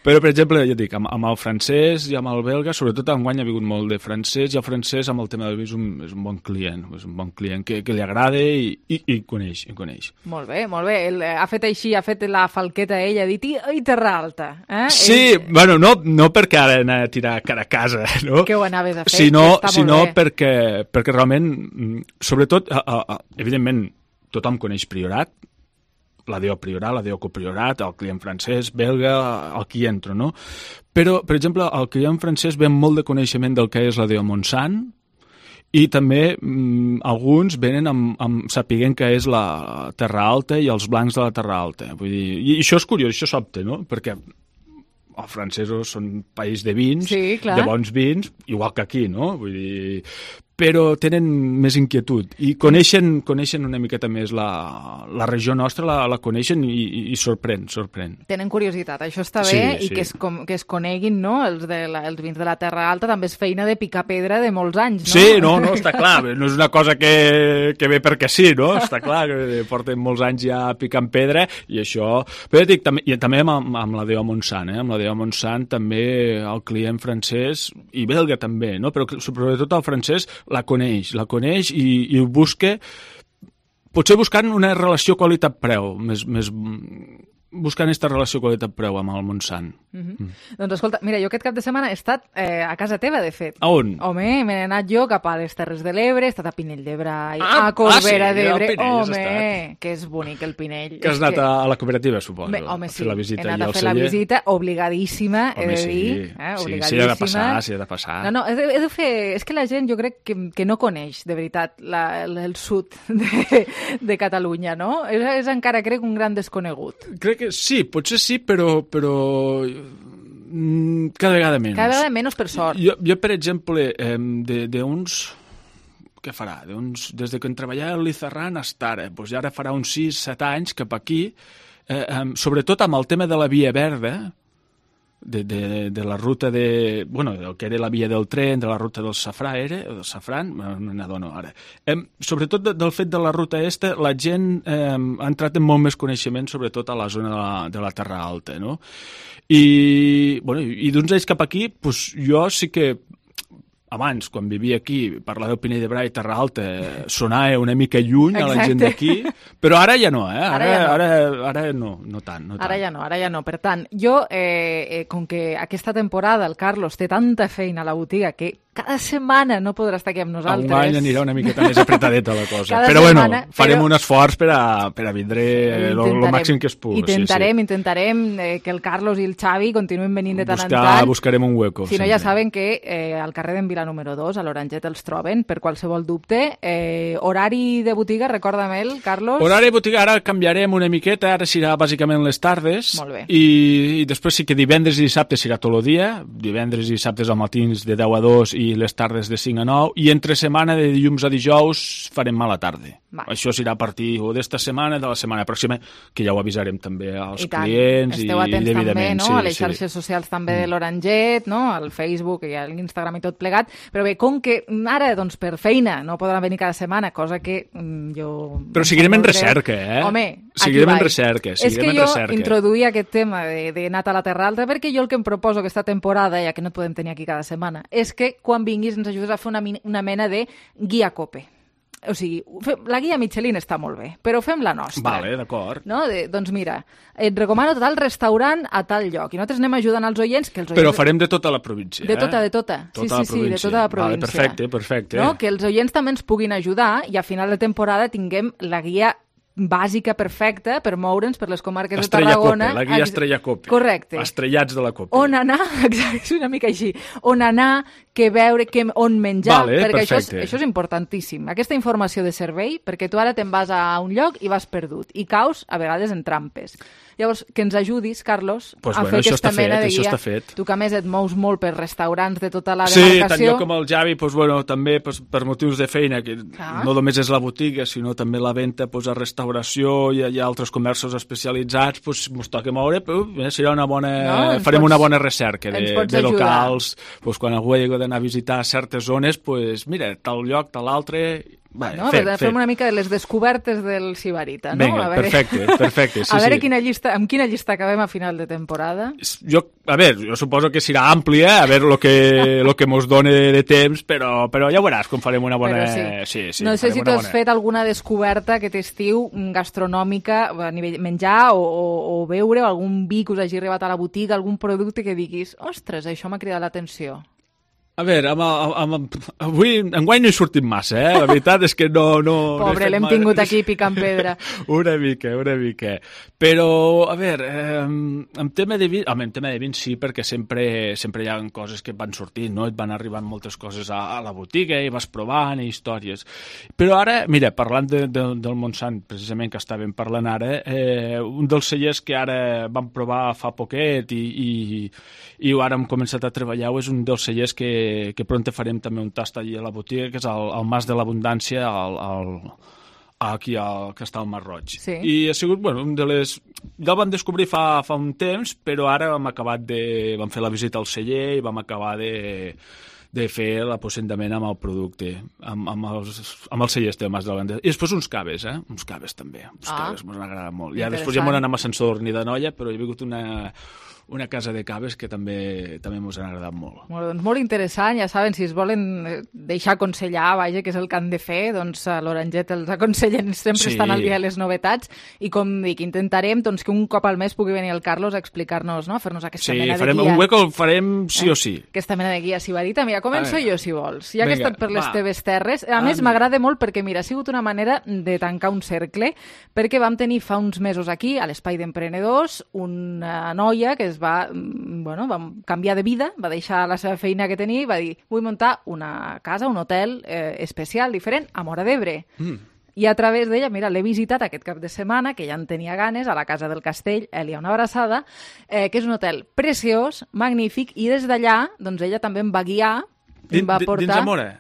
Però, per exemple, ja dic, amb el francès i amb el belga, sobretot enguany ha vingut molt de francès, i el francès amb el tema del vi és un bon client que li agrada i coneix. Molt bé. Ha fet així, ha fet la falqueta ell, ha dit, i Terra Alta. Sí, bueno, no perquè ara anar a tirar cara a casa, no? Que ho anaves a fer, sinó perquè realment, sobretot, evidentment, tothom coneix Priorat, la DO Priorat, la DO Copriorat, el client francès, belga, el que hi entra, no? Però, per exemple, el client francès ve amb molt de coneixement del que és la DO Montsant, i també alguns venen sapiguent que és la Terra Alta i els blancs de la Terra Alta. Vull dir, i això és curiós, això s'opta, no? Perquè els francesos són un país de vins, de bons vins, igual que aquí, no? Vull dir, però tenen més inquietud i coneixen una miqueta més la regió nostra, la coneixen i sorprèn. Tenen curiositat, això està bé, i que es coneguin, no? Els vins de la Terra Alta també és feina de picar pedra de molts anys, no? Sí, no, està clar, no és una cosa que ve perquè sí, no? Està clar que porten molts anys ja picant pedra i això... Però dic, també amb la DO Montsant, amb la DO Montsant també el client francès i belga també, no? Però sobretot el francès la coneix i busca, potser buscant una relació qualitat-preu, buscant aquesta relació qualitat-preu amb el Montsant. Doncs escolta, mira, jo aquest cap de setmana he estat a casa teva, de fet. A on? Home, m'he anat jo cap a les Terres de l'Ebre, he estat a Pinell de Brai, a Corbera d'Ebre. Home, que és bonic el Pinell. Que has anat a la cooperativa, suposo. Home, sí, he anat a fer la visita, obligadíssima, he de dir. Sí, s'hi ha de passar. No, he de fer... És que la gent jo crec que no coneix, de veritat, el sud de Catalunya, no? És encara, crec, un gran desconegut. Crec que sí, potser sí, però cada vegada menys. Cada vegada menys, per sort. Jo per exemple, d'uns... Què farà? Des que treballava a l'Izarran hasta ara, doncs ara farà uns 6-7 anys cap aquí, sobretot amb el tema de la Via Verda, de la ruta del que era la via del tren, de la ruta del safran, no n'adono ara. Sobretot del fet de la ruta la gent ha entrat en molt més coneixement, sobretot a la zona de la Terra Alta, no? I d'uns anys cap aquí, jo sí que abans, quan vivia aquí, parlar del Pinell de Brai i Terra Alta sonava una mica lluny a la gent d'aquí, però ara ja no, ara no tant. Ara ja no. Per tant, jo, com que aquesta temporada el Carlos té tanta feina a la botiga que cada setmana no podrà estar aquí amb nosaltres. Enguany anirà una miqueta més apretadeta la cosa. Però farem un esforç per a vindre el màxim que es pugui. Intentarem que el Carlos i el Xavi continuïn venint de tant en tant. Buscarem un hueco. Si no, ja saben que al carrer d'en Vilà número 2, a l'Oranget, els troben per qualsevol dubte. Horari de botiga, recorda'm-el, Carlos. Horari de botiga, ara canviarem una miqueta, ara serà bàsicament les tardes. Molt bé. I després sí que divendres i dissabte serà tot el dia. Divendres i dissabtes al matins de 10 a 2 i les tardes de 5 a 9, i entre setmana de dilluns a dijous farem a la tarda. Això serà a partir d'esta setmana, de la setmana pròxima, que ja ho avisarem també als clients. Esteu atents també, no? A les xarxes socials també de l'Oranget, no? Al Facebook i a l'Instagram i tot plegat. Però bé, com que ara, doncs, per feina no podran venir cada setmana, cosa que jo... Però seguirem en recerca, Home, seguirem en recerca. És que jo introduïa aquest tema de Nat a la Terra Alta perquè jo el que em proposo aquesta temporada, ja que no et podem tenir aquí cada setmana, és que quan vinguis ens ajudes a fer una mena de guia COPE. O sigui, la guia Michelin està molt bé, però fem la nostra. Vale, d'acord. No? Doncs mira, et recomano tal restaurant a tal lloc. I nosaltres anem ajudant als oients... Però farem de tota la província, De tota. Sí, de tota la província. Vale, perfecte. No? Que els oients també ens puguin ajudar i a final de temporada tinguem la guia bàsica perfecta per moure'ns per les comarques de Tarragona. La guia Estrella Cope. Correcte. Estrellats de la Cope. On anar, exacte, és una mica així, on anar, què veure, on menjar, perquè això és importantíssim. Aquesta informació de servei, perquè tu ara te'n vas a un lloc i vas perdut, i caus a vegades en trampes. Llavors, que ens ajudis, Carlos, a fer aquesta mena de guia. Tu que a més et mous molt per restaurants de tota la demarcació. Sí, tant jo com el Javi, també per motius de feina, que no només és la botiga, sinó també la venda a restauració i hi ha altres comerços especialitzats, ens toca moure, serà una bona... Farem una bona recerca de locals. Quan algú hagi d'anar a visitar certes zones, mira, tal lloc, tal altre... Fem una mica de les descobertes del Sibarita, no? Vinga, perfecte. A veure amb quina llista acabem a final de temporada. Jo suposo que serà àmplia, a veure lo que mos done de temps, però ja veuràs com farem una bona... Sí, no sé si tu has fet alguna descoberta aquest estiu gastronòmica a nivell menjar o beure, o algun vi que us hagi arribat a la botiga, algun producte que diguis, ostres, això m'ha cridat l'atenció. A veure, avui enguany no he sortit massa, La veritat és que no... Pobre, l'hem tingut aquí picant pedra. Una mica. Però, a veure, en tema de vins sí, perquè sempre hi ha coses que van sortint, no? Et van arribant moltes coses a la botiga i vas provant i històries. Però ara, mira, parlant del Montsant, precisament que estàvem parlant ara, un dels cellers que ara vam provar fa poquet i ara hem començat a treballar és un dels cellers que pront farem també un tast allà a la botiga, que és el Mas de l'Abundància aquí que està al Mar Roig. Sí. I ha sigut, un de les... Ja el vam descobrir fa un temps, però ara vam fer la visita al celler i vam acabar de fer l'aposentament amb el producte, amb els cellers del Mas de l'Abundància. I després uns caves, uns caves també. Uns caves m'han agradat molt. Ja després ja m'han anat amb ascensor ni de noia, però hi ha hagut una casa de caves que també mos han agradat molt. Doncs molt interessant, ja saben, si es volen deixar aconsellar, vaja, que és el que han de fer, doncs a l'Oranget els aconsellen, sempre estan al dia de les novetats, i com dic, intentarem que un cop al mes pugui venir el Carlos a explicar-nos, a fer-nos aquesta mena de guia. Un hueco el farem sí o sí. Aquesta mena de guia sibarita. Mira, començo jo, si vols. Ja que he estat per les teves terres, a més m'agrada molt perquè, mira, ha sigut una manera de tancar un cercle, perquè vam tenir fa uns mesos aquí, a l'Espai d'Emprenedors, una noia que va canviar de vida, va deixar la seva feina que tenia i va dir, vull muntar una casa, un hotel especial, diferent, a Móra d'Ebre. I a través d'ella, mira, l'he visitat aquest cap de setmana, que ja en tenia ganes, a la Casa del Castell, Elia, una abraçada, que és un hotel preciós, magnífic, i des d'allà, doncs ella també em va guiar, em va portar...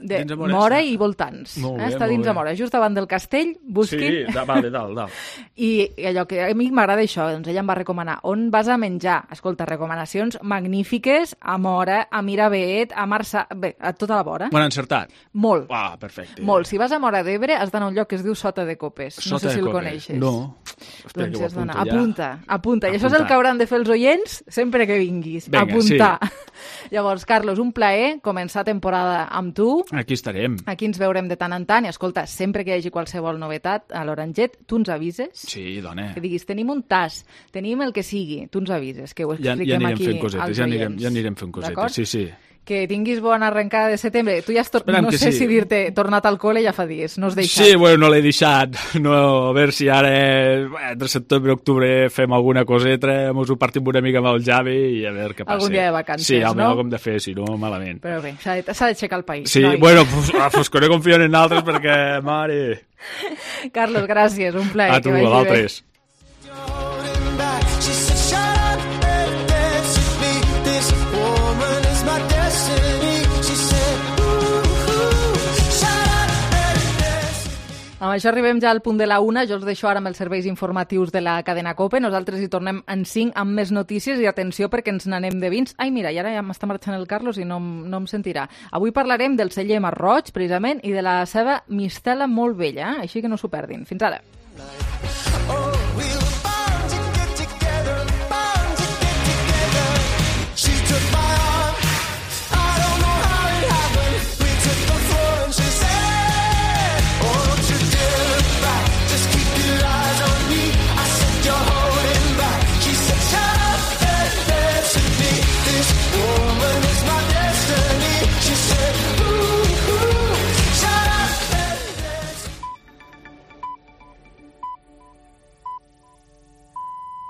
Dins de Móra? Móra i voltants. Està dins de Móra, just davant del castell, busquin. Sí, vale, dalt. I allò que a mi m'agrada això, doncs ella em va recomanar on vas a menjar. Escolta, recomanacions magnífiques a Móra, a Miravet, a Marçà... Bé, a tota la vora. M'han encertat? Molt. Perfecte. Molt. Si vas a Móra d'Ebre has d'anar a un lloc que es diu Sota de Copes. No sé si el coneixes. No. Doncs has d'anar. Apunta. I això és el que hauran de fer els oients sempre que vinguis. Vinga, apuntar. Sí. Llavors, Carlos, un plaer començar temporada amb tu. Aquí estarem. Aquí ens veurem de tant en tant i escolta, sempre que hi hagi qualsevol novetat a l'Oranget, tu ens avises. Sí, dona. Que diguis, tenim un tas, tenim el que sigui, tu ens avises, que ho expliquem aquí als oients. Ja anirem fent cosetes, sí. Que tinguis bona arrencada de setembre. Tu ja has no sé si dir-te tornat al col·le ja fa dies, no has deixat. Sí, no l'he deixat. A veure si ara, entre setembre i octubre, fem alguna coseta, mos ho partim una mica amb el Javi i a veure què passa. Algun dia de vacances, sí, no? Sí, com de fer, si no, malament. Però bé, s'ha d'aixecar el país. Sí, noi. Pues que no confio en altres perquè, mare... Carlos, gràcies, un plaer. A tu, a l'altres. Amb Amb això arribem ja al punt de la 1. Jo us deixo ara amb els serveis informatius de la cadena COPE. Nosaltres hi tornem en 5 amb més notícies i atenció perquè ens n'anem de vins. Ai, mira, i ara ja m'està marxant el Carlos i no em sentirà. Avui parlarem del celler Marroig, precisament, i de la seva mistela molt vella, així que no s'ho perdin. Fins ara.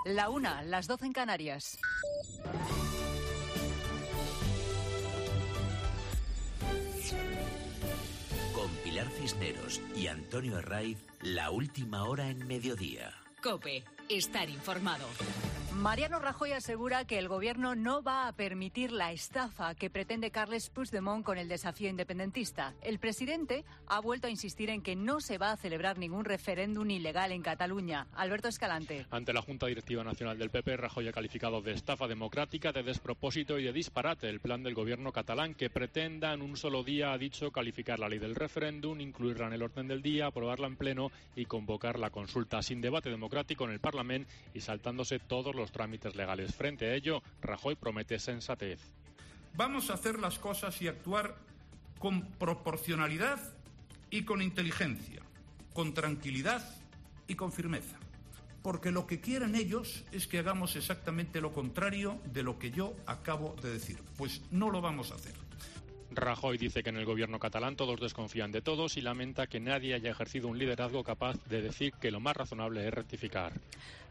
La 1, las 12 en Canarias. Con Pilar Cisneros y Antonio Herraiz, la última hora en mediodía. COPE, estar informado. Mariano Rajoy asegura que el gobierno no va a permitir la estafa que pretende Carles Puigdemont con el desafío independentista. El presidente ha vuelto a insistir en que no se va a celebrar ningún referéndum ilegal en Cataluña. Alberto Escalante. Ante la Junta Directiva Nacional del PP, Rajoy ha calificado de estafa democrática, de despropósito y de disparate el plan del gobierno catalán que pretenda en un solo día, ha dicho, calificar la ley del referéndum, incluirla en el orden del día, aprobarla en pleno y convocar la consulta sin debate democrático en el Parlamento y saltándose todos los trámites legales. Frente a ello, Rajoy promete sensatez. Vamos a hacer las cosas y actuar con proporcionalidad y con inteligencia, con tranquilidad y con firmeza. Porque lo que quieren ellos es que hagamos exactamente lo contrario de lo que yo acabo de decir. Pues no lo vamos a hacer. Rajoy dice que en el gobierno catalán todos desconfían de todos y lamenta que nadie haya ejercido un liderazgo capaz de decir que lo más razonable es rectificar.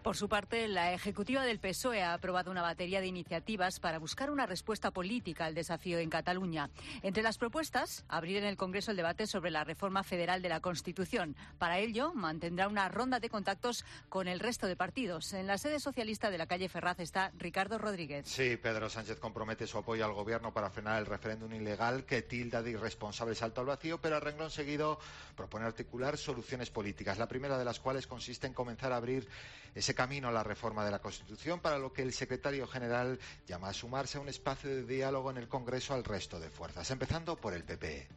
Por su parte, la ejecutiva del PSOE ha aprobado una batería de iniciativas para buscar una respuesta política al desafío en Cataluña. Entre las propuestas, abrir en el Congreso el debate sobre la reforma federal de la Constitución. Para ello, mantendrá una ronda de contactos con el resto de partidos. En la sede socialista de la calle Ferraz está Ricardo Rodríguez. Sí, Pedro Sánchez compromete su apoyo al gobierno para frenar el referéndum ilegal que tilda de irresponsable salto al vacío, pero a renglón seguido propone articular soluciones políticas, la primera de las cuales consiste en comenzar a abrir ese camino a la reforma de la Constitución, para lo que el secretario general llama a sumarse a un espacio de diálogo en el Congreso al resto de fuerzas, empezando por el PP.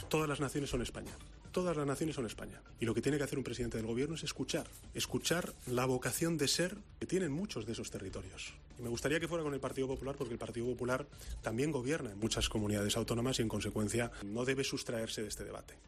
Todas las naciones son España. Todas las naciones son España. Y lo que tiene que hacer un presidente del gobierno es escuchar la vocación de ser que tienen muchos de esos territorios. Y me gustaría que fuera con el Partido Popular, porque el Partido Popular también gobierna en muchas comunidades autónomas y, en consecuencia, no debe sustraerse de este debate.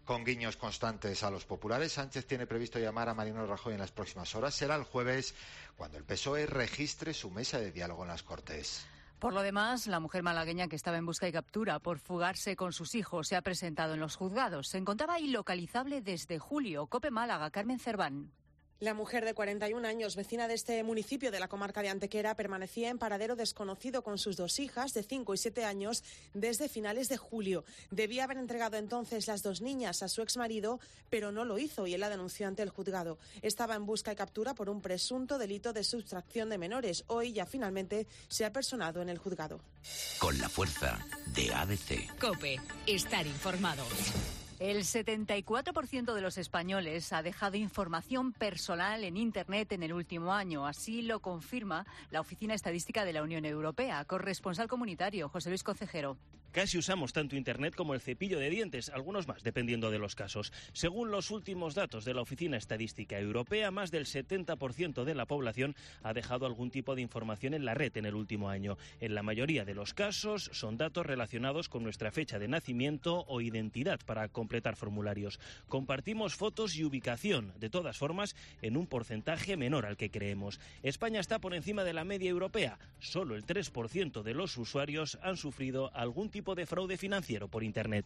Con guiños constantes a los populares, Sánchez tiene previsto llamar a Mariano Rajoy en las próximas horas. Será el jueves cuando el PSOE registre su mesa de diálogo en las Cortes. Por lo demás, la mujer malagueña que estaba en busca y captura por fugarse con sus hijos se ha presentado en los juzgados. Se encontraba ilocalizable desde julio. COPE Málaga, Carmen Cerván. La mujer de 41 años, vecina de este municipio de la comarca de Antequera, permanecía en paradero desconocido con sus dos hijas de 5 y 7 años desde finales de julio. Debía haber entregado entonces las dos niñas a su exmarido, pero no lo hizo y él la denunció ante el juzgado. Estaba en busca y captura por un presunto delito de sustracción de menores. Hoy ya finalmente se ha personado en el juzgado. Con la fuerza de ABC. COPE, estar informado. El 74% de los españoles ha dejado información personal en Internet en el último año. Así lo confirma la Oficina Estadística de la Unión Europea. Corresponsal comunitario, José Luis Concejero. Casi usamos tanto Internet como el cepillo de dientes, algunos más, dependiendo de los casos. Según los últimos datos de la Oficina Estadística Europea, más del 70% de la población ha dejado algún tipo de información en la red en el último año. En la mayoría de los casos son datos relacionados con nuestra fecha de nacimiento o identidad para completar formularios. Compartimos fotos y ubicación, de todas formas, en un porcentaje menor al que creemos. España está por encima de la media europea. Solo el 3% de los usuarios han sufrido algún tipo de fraude financiero por Internet.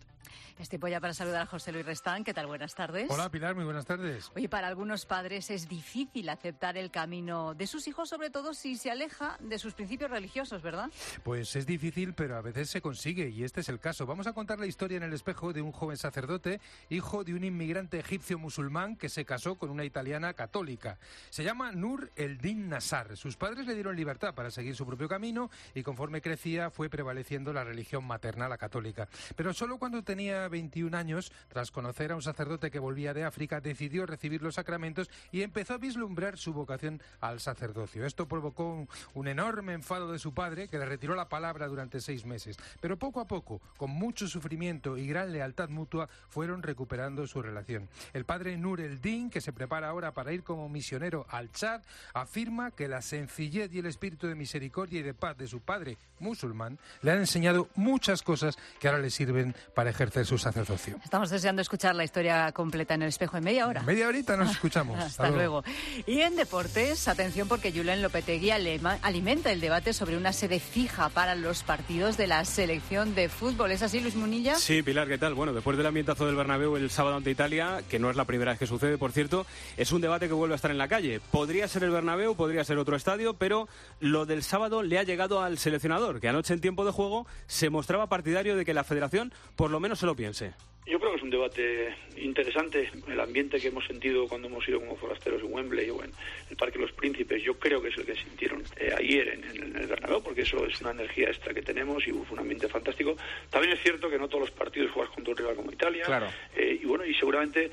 Es tiempo ya para saludar a José Luis Restán. ¿Qué tal? Buenas tardes. Hola, Pilar, muy buenas tardes. Oye, para algunos padres es difícil aceptar el camino de sus hijos, sobre todo si se aleja de sus principios religiosos, ¿verdad? Pues es difícil, pero a veces se consigue, y este es el caso. Vamos a contar la historia en el espejo de un joven sacerdote, hijo de un inmigrante egipcio musulmán que se casó con una italiana católica. Se llama Nur el-Din Nassar. Sus padres le dieron libertad para seguir su propio camino y conforme crecía fue prevaleciendo la religión materna. paterna, la católica. Pero solo cuando tenía 21 años, tras conocer a un sacerdote que volvía de África, decidió recibir los sacramentos y empezó a vislumbrar su vocación al sacerdocio. Esto provocó un enorme enfado de su padre, que le retiró la palabra durante 6 meses. Pero poco a poco, con mucho sufrimiento y gran lealtad mutua, fueron recuperando su relación. El padre Nur el-Din, que se prepara ahora para ir como misionero al Chad, afirma que la sencillez y el espíritu de misericordia y de paz de su padre musulmán le han enseñado muchas cosas que ahora le sirven para ejercer su sacerdocio. Estamos deseando escuchar la historia completa en El Espejo en media hora. Media horita nos escuchamos. Hasta luego. Y en deportes, atención, porque Julen Lopetegui alimenta el debate sobre una sede fija para los partidos de la selección de fútbol. ¿Es así, Luis Munilla? Sí, Pilar, ¿qué tal? Bueno, después del ambientazo del Bernabéu el sábado ante Italia, que no es la primera vez que sucede, por cierto, es un debate que vuelve a estar en la calle. Podría ser el Bernabéu, podría ser otro estadio, pero lo del sábado le ha llegado al seleccionador, que anoche en tiempo de juego se mostraba partidario de que la federación por lo menos se lo piense. Yo creo que es un debate interesante. El ambiente que hemos sentido cuando hemos ido como forasteros en Wembley o en el Parque de los Príncipes, yo creo que es el que sintieron ayer en el Bernabéu, porque eso es una energía extra que tenemos y fue un ambiente fantástico. También es cierto que no todos los partidos juegas contra un rival como Italia. Claro. Y seguramente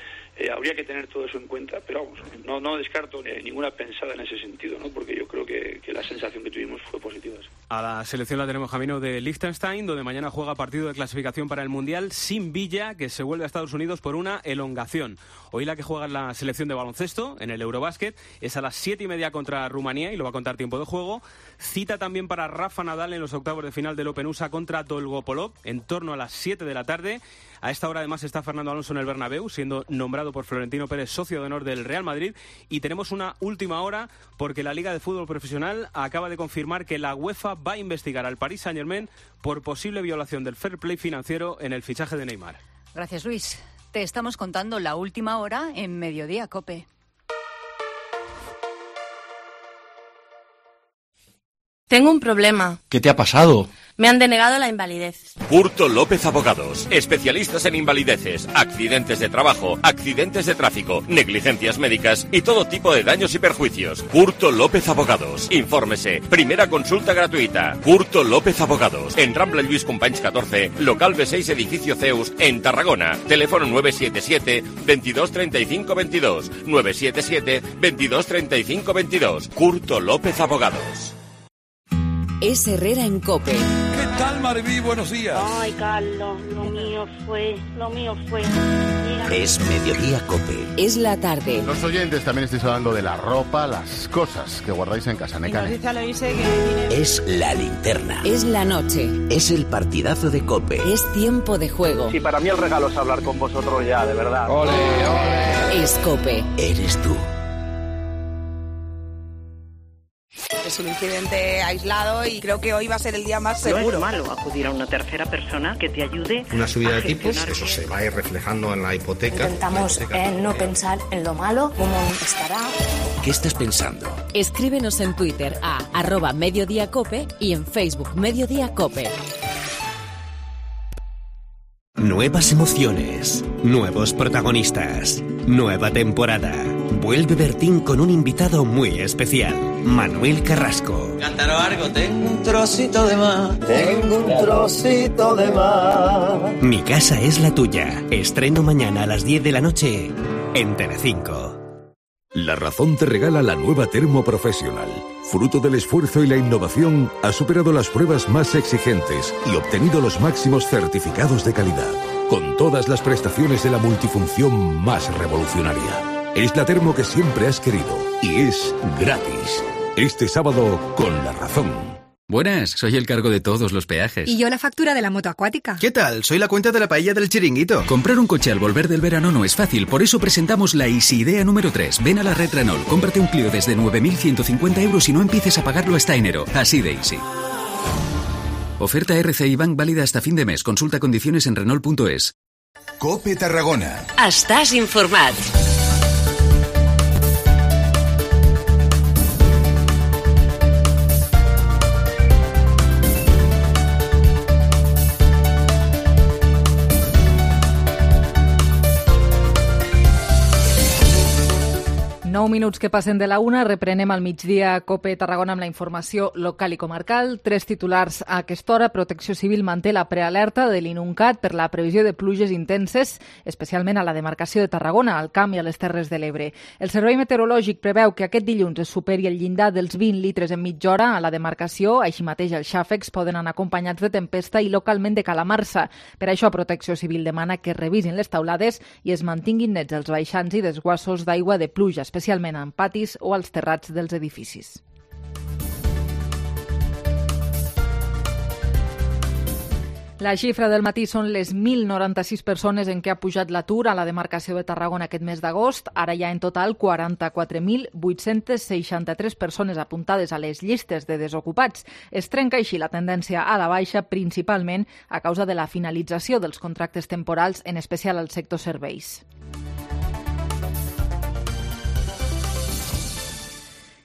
habría que tener todo eso en cuenta, pero vamos, no descarto ninguna pensada en ese sentido, ¿no? Porque yo creo que la sensación que tuvimos fue positiva. A la selección la tenemos camino de Liechtenstein, donde mañana juega partido de clasificación para el Mundial sin Villa, que se vuelve a Estados Unidos por una elongación. Hoy la que juega la selección de baloncesto en el Eurobásquet es a las 7:30 contra Rumanía, y lo va a contar tiempo de juego. Cita también para Rafa Nadal en los octavos de final del Open USA contra Dolgopolov en torno a las 7 de la tarde. A esta hora además está Fernando Alonso en el Bernabéu, siendo nombrado por Florentino Pérez socio de honor del Real Madrid. Y tenemos una última hora porque la Liga de Fútbol Profesional acaba de confirmar que la UEFA va a investigar al Paris Saint-Germain por posible violación del fair play financiero en el fichaje de Neymar. Gracias, Luis. Te estamos contando la última hora en Mediodía COPE. Tengo un problema. ¿Qué te ha pasado? Me han denegado la invalidez. Curto López Abogados, especialistas en invalideces, accidentes de trabajo, accidentes de tráfico, negligencias médicas y todo tipo de daños y perjuicios. Curto López Abogados. Infórmese. Primera consulta gratuita. Curto López Abogados. En Rambla Lluís Companys 14, local B6, edificio Zeus, en Tarragona. Teléfono 977 22 35 22. 977 22 35 22. Curto López Abogados. Es Herrera en COPE. ¿Qué tal, Maribí? Buenos días. Ay, Carlos, lo mío fue. Mira. Es Mediodía COPE. Es la tarde. Los oyentes también estáis hablando de la ropa, las cosas que guardáis en casa. Es la linterna. Es la noche. Es el partidazo de COPE. Es tiempo de juego. Sí, para mí el regalo es hablar con vosotros ya, de verdad. ¡Ole, ole! Es COPE. Eres tú. Es un incidente aislado y creo que hoy va a ser el día más seguro. No es malo acudir a una tercera persona que te ayude. Una subida de tipos, eso se va a ir reflejando en la hipoteca. Intentamos no pensar en lo malo, cómo estará. ¿Qué estás pensando? Escríbenos en Twitter a @mediodiacope y en Facebook Mediodía Cope. Nuevas emociones, nuevos protagonistas, nueva temporada. Vuelve Bertín con un invitado muy especial, Manuel Carrasco. Cantaros algo, tengo un trocito de más, tengo un trocito de más. Mi casa es la tuya. Estreno mañana a las 10 de la noche en Telecinco. La Razón te regala la nueva Termo Professional. Fruto del esfuerzo y la innovación, ha superado las pruebas más exigentes y obtenido los máximos certificados de calidad, con todas las prestaciones de la multifunción más revolucionaria. Es la termo que siempre has querido y es gratis. Este sábado con La Razón. Buenas, soy el cargo de todos los peajes. Y yo la factura de la moto acuática. ¿Qué tal? Soy la cuenta de la paella del Chiringuito. Comprar un coche al volver del verano no es fácil, por eso presentamos la Easy Idea número 3. Ven a la red Renault, cómprate un Clio desde 9.150 euros y no empieces a pagarlo hasta enero. Así de easy. Oferta RCI Bank válida hasta fin de mes. Consulta condiciones en Renault.es. COPE Tarragona. Estàs informat. 9 minuts que passen de la 1, reprenem al migdia COPE Tarragona amb la informació local i comarcal. 3 titulars a aquesta hora. Protecció Civil manté la prealerta de l'INUNCAT per la previsió de pluges intenses, especialment a la demarcació de Tarragona, al Camp i a les Terres de l'Ebre. El Servei Meteorològic preveu que aquest dilluns es superi el llindar dels 20 litres en mitja hora a la demarcació. Així mateix els xàfecs poden anar acompanyats de tempesta i localment de calamarsa. Per això Protecció Civil demana que revisin les taulades i es mantinguin nets els baixants i desguassos d'aigua de pluja, especialment en patis o als terrats dels edificis. La xifra del matí són les 1.096 persones en què ha pujat l'atur a la demarcació de Tarragona aquest mes d'agost. Ara hi ha en total 44.863 persones apuntades a les llistes de desocupats. Es trenca així la tendència a la baixa, principalment a causa de la finalització dels contractes temporals, en especial al sector serveis.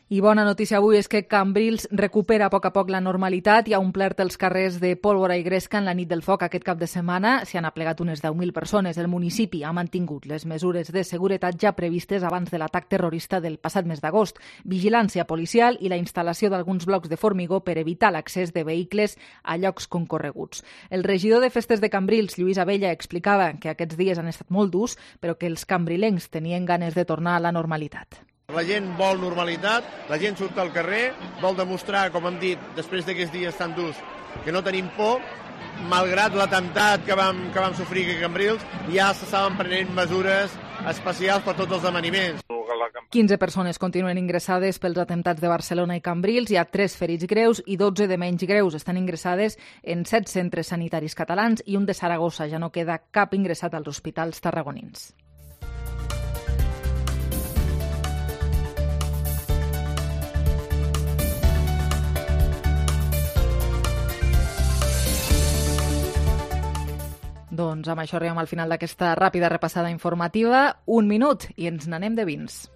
I bona notícia avui és que Cambrils recupera a poc la normalitat. Hi ha omplert els carrers de pólvora i gresca en la nit del foc aquest cap de setmana. S'hi han aplegat unes 10.000 persones. El municipi ha mantingut les mesures de seguretat ja previstes abans de l'atac terrorista del passat mes d'agost. Vigilància policial i la instal·lació d'alguns blocs de formigó per evitar l'accés de vehicles a llocs concorreguts. El regidor de Festes de Cambrils, Lluís Abella, explicava que aquests dies han estat molt durs, però que els cambrilencs tenien ganes de tornar a la normalitat. La gent vol normalitat, la gent surt al carrer, vol demostrar, com hem dit, després d'aquests dies tan durs, que no tenim por, malgrat l'atemptat que vam sofrir aquí a Cambrils, ja s'estaven prenent mesures especials per tots els esdeveniments. 15 persones continuen ingressades pels atemptats de Barcelona i Cambrils. Hi ha 3 ferits greus i 12 de menys greus. Estan ingressades en 7 centres sanitaris catalans i un de Saragossa. Ja no queda cap ingressat als hospitals tarragonins. Doncs amb això arribem al final d'aquesta ràpida repassada informativa. 1 minut i ens n'anem de vins.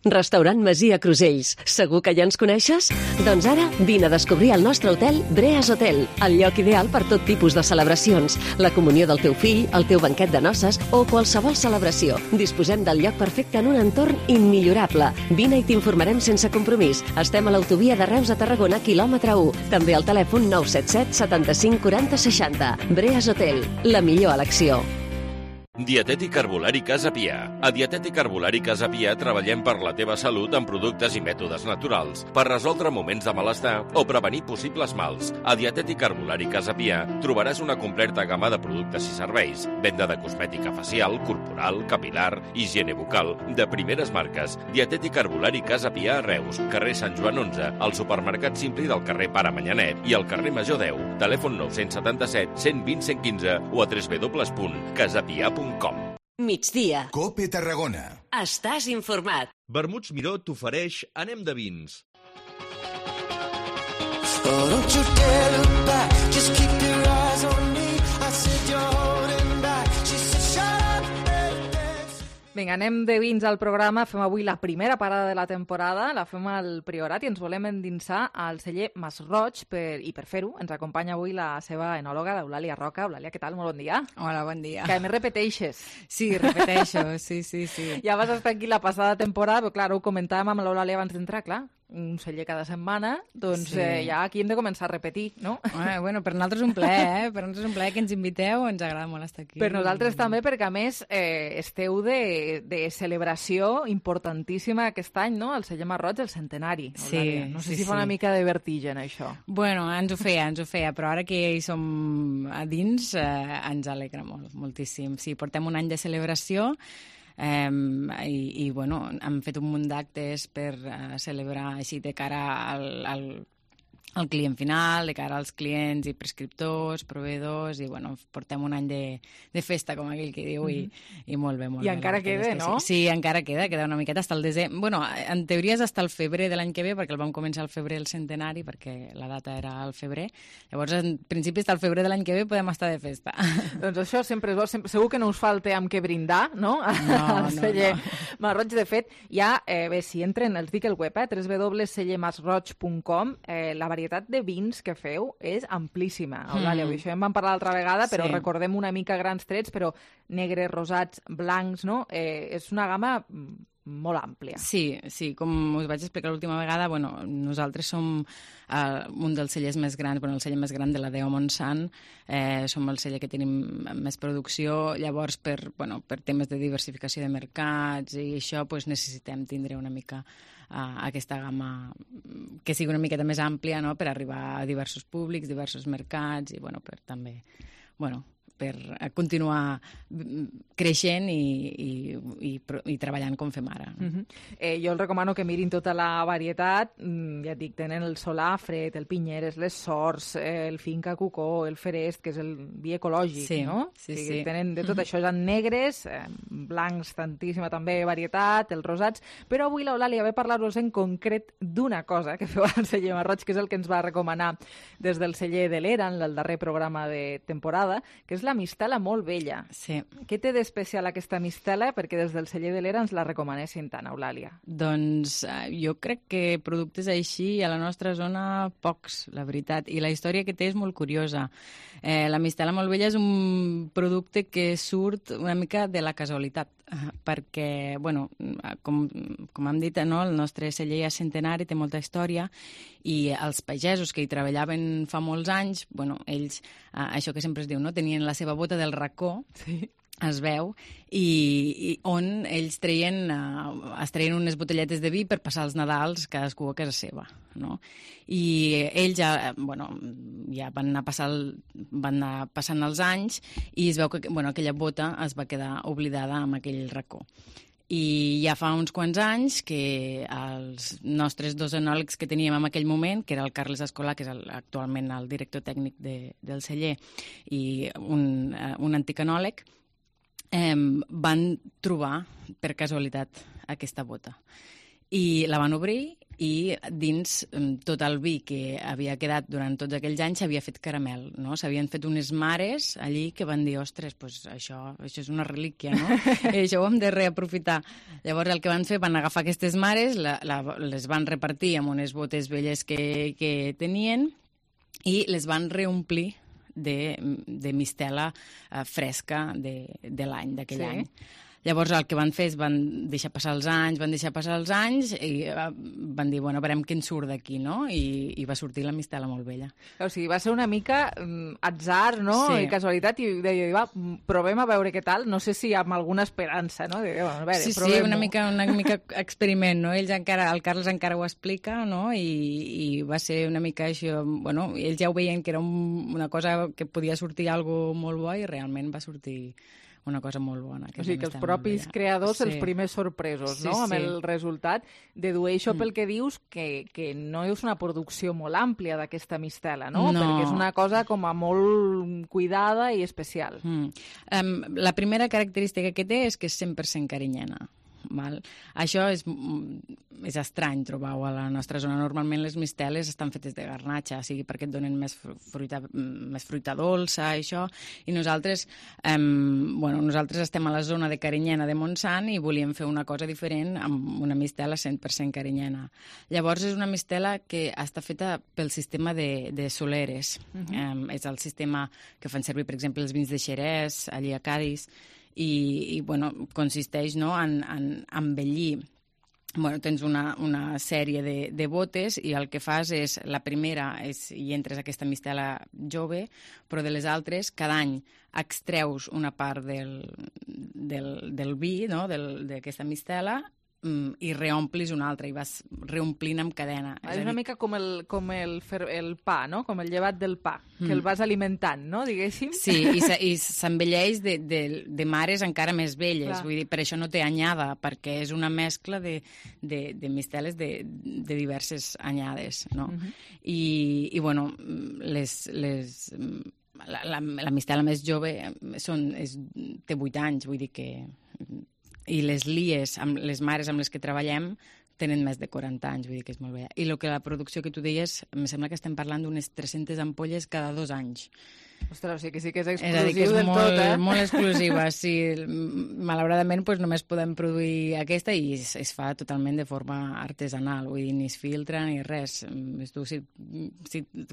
Restaurant Masia Crusells. Segur que ja ens coneixes? Doncs ara vine a descobrir el nostre hotel Breas Hotel, el lloc ideal per tot tipus de celebracions, la comunió del teu fill, el teu banquet de noces o qualsevol celebració. Disposem del lloc perfecte en un entorn immillorable. Vine i t'informarem sense compromís. Estem a l'autovia de Reus a Tarragona, quilòmetre 1. També al telèfon 977 75 40 60. Breas Hotel, la millor elecció. Dietètic Herbolari Casa Pia. A Dietètic Herbolari Casa Pia treballem per la teva salut amb productes i mètodes naturals, per resoldre moments de malestar o prevenir possibles mals. A Dietètic Herbolari Casa Pia trobaràs una completa gamma de productes i serveis, venda de cosmètica facial, corporal, capilar, higiene bucal, de primeres marques. Dietètic Herbolari Casa Pia a Reus, carrer Sant Joan 11, al supermercat Simpli del carrer Pare Manyanet i al carrer Major 10. Telèfon 977 120 115 o a www.casapia.com. Migdia. COPE Tarragona. Estàs informat. Vermuts Miró t'ofereix Anem de vins. Vinga, anem de vins al programa. Fem avui la primera parada de la temporada. La fem al Priorat i ens volem endinsar al celler Masroig i per fer-ho ens acompanya avui la seva enòloga, l'Eulàlia Roca. Eulàlia, què tal? Molt bon dia. Hola, bon dia. Que a més repeteixes. Sí, repeteixo, sí. Ja vas estar aquí la passada temporada, però clar, ho comentàvem amb l'Eulàlia abans d'entrar, clar. Un celler cada setmana, doncs sí. Ja aquí hem de començar a repetir, no? Bueno, per nosaltres un plaer, Per nosaltres un plaer que ens inviteu, ens agrada molt estar aquí. Per nosaltres també, perquè a més esteu de celebració importantíssima aquest any, no? El celler Masroig, el centenari. Sí. No sé si fa una mica de vertigen, això. Bueno, ens ho feia, però ara que hi som a dins ens alegra moltíssim. Sí, portem un any de celebració, i bueno, hem fet un munt d'actes per celebrar així de cara al client final, de cara als clients i prescriptors, proveïdors, i bueno, portem un any de festa, com aquell que diu, i molt bé, molt bé. I encara queda, no? Sí, encara queda una miqueta fins al desembre. Bueno, en teoria és fins al febrer de l'any que ve, perquè el vam començar al febrer el centenari, perquè la data era al febrer. Llavors, en principi, fins al febrer de l'any que ve podem estar de festa. Doncs això sempre és bo. Segur que no us falta amb què brindar, no? Al celler Masroig. De fet, ja, bé, si entren, els dic el web, www.cellermasroig.com, la varietat varietat de vins que feu és amplíssima, Eulàlia. Això en vam parlar l'altra vegada, però recordem una mica grans trets, però negres, rosats, blancs, no? És una gamma molt àmplia. Sí, com us vaig explicar l'última vegada, nosaltres som un dels cellers més grans, el celler més gran de la DO Montsant, som el celler que tenim més producció, llavors per temes de diversificació de mercats i això necessitem tindre una mica aquesta gamma que sigui una miqueta més àmplia, no?, per arribar a diversos públics, diversos mercats i per també per continuar creixent i treballant com fem ara. Jo els recomano que mirin tota la varietat. Ja et dic, tenen el Solàfred, el Pinyeres, les Sorts, el Finca Cucó, el Ferest, que és el vi ecològic, no? Sí. Tenen de tot això, en negres, blancs, tantíssima també varietat, els rosats, però avui l'Eulàlia ve a parlar-vos en concret d'una cosa que feu al celler Marroig, que és el que ens va recomanar des del celler de l'Era, en el darrer programa de temporada, que és la mistela molt vella. Sí. Què té d'especial aquesta mistela perquè des del celler de l'Era ens la recomanessin tant, Eulàlia? Doncs jo crec que productes així a la nostra zona pocs, la veritat. I la història que té és molt curiosa. La mistela molt vella és un producte que surt una mica de la casualitat, perquè, com hem dit, no, el nostre celler és centenari, té molta història, i els pagesos que hi treballaven fa molts anys, ells, això que sempre es diu, no, tenien la seva bota del racó, es veu, i on ells es treien unes botelletes de vi per passar els Nadals cadascú a casa seva, no? I ells ja van anar passant els anys i es veu que aquella bota es va quedar oblidada amb aquell racó. I ja fa uns quants anys que els nostres dos enòlegs que teníem en aquell moment, que era el Carles Escolà, que és actualment el director tècnic del celler, i un antic enòleg, van trobar per casualitat aquesta bota. I la van obrir i dins tot el vi que havia quedat durant tots aquells anys s'havia fet caramel, no? S'havien fet unes mares allí que van dir, ostres, això és una relíquia, no? Això ho hem de reaprofitar. Llavors el que van fer, van agafar aquestes mares, les van repartir amb unes botes velles que tenien i les van reomplir de mistela fresca de l'any, d'aquell any. Llavors el que van fer és van deixar passar els anys i van dir, veurem què en surt d'aquí, no? I va sortir la mistela molt vella. O sigui, va ser una mica atzar, no? Sí. I casualitat, i deia, provem a veure què tal, no sé si amb alguna esperança, no? Sí, una mica experiment, no? El Carles encara ho explica, no? I va ser una mica això, ells ja ho veien que era una cosa que podia sortir algo molt bo i realment va sortir una cosa molt bona. O sigui, que els propis creadors, els primers sorpresos, no?, amb el resultat. Dedueixo pel que dius que no és una producció molt àmplia d'aquesta mistela, no? Perquè és una cosa com a molt cuidada i especial. La primera característica que té és que és 100% carinyena. Això és estrany trobar-ho a la nostra zona. Normalment les misteles estan fetes de garnatxa, sigui perquè et donen més fruita dolça, això, i nosaltres estem a la zona de Carinyena de Montsant i volíem fer una cosa diferent amb una mistela 100% carinyena. Llavors és una mistela que està feta pel sistema de soleres. És el sistema que fan servir, per exemple, els vins de Xerès, allí a Cadis, i consisteix en envellir. Tens una sèrie de botes i el que fas és, la primera hi entres aquesta mistela jove, però de les altres cada any extreus una part del vi, no?, d'aquesta mistela, i reomplis una altra i vas reomplint amb cadena. És una mica com el pa, no? Com el llevat del pa, que el vas alimentant, no?, diguéssim. Sí, i s'envelleix de mares encara més velles. Vull dir, per això no té anyada, perquè és una mescla de misteles de diverses anyades, no? I la mistela més jove té 8 anys, vull dir que... I les lies, les mares amb les que treballem, tenen més de 40 anys, vull dir que és molt bella. I la producció que tu deies, em sembla que estem parlant d'unes 300 ampolles cada 2 anys. Ostres, o sigui que sí que és És a dir, que exclusiu és del tot, molt exclusiva, sí. Malauradament només podem produir aquesta i es fa totalment de forma artesanal, vull dir, ni es filtra ni res. Tu, si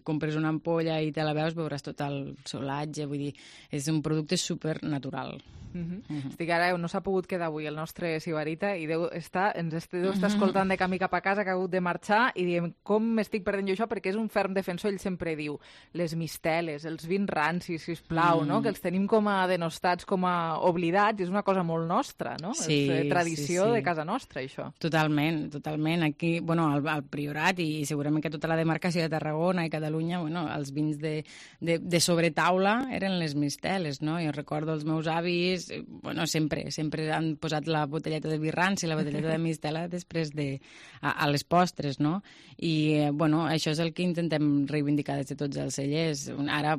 compres una ampolla i te la veuràs tot el solatge, vull dir, és un producte supernatural. Estic ara, no s'ha pogut quedar avui el nostre Sibarita i ens deu estar escoltant de camí cap a casa, que ha hagut de marxar, i diem, com m'estic perdent jo això? Perquè és un ferm defensor, ell sempre diu, les misteles, els vins rancis, sisplau, no? Que els tenim com a denostats, com a oblidats, i és una cosa molt nostra, no? Sí, és tradició de casa nostra, això. Totalment. Aquí, al Priorat i segurament que tota la demarcació de Tarragona i Catalunya, els vins de sobretaula eren les misteles, no? Jo recordo els meus avis, sempre han posat la botelleta de vi ranci i la botelleta de mistela després a les postres, no? I, això és el que intentem reivindicar des de tots els cellers. Ara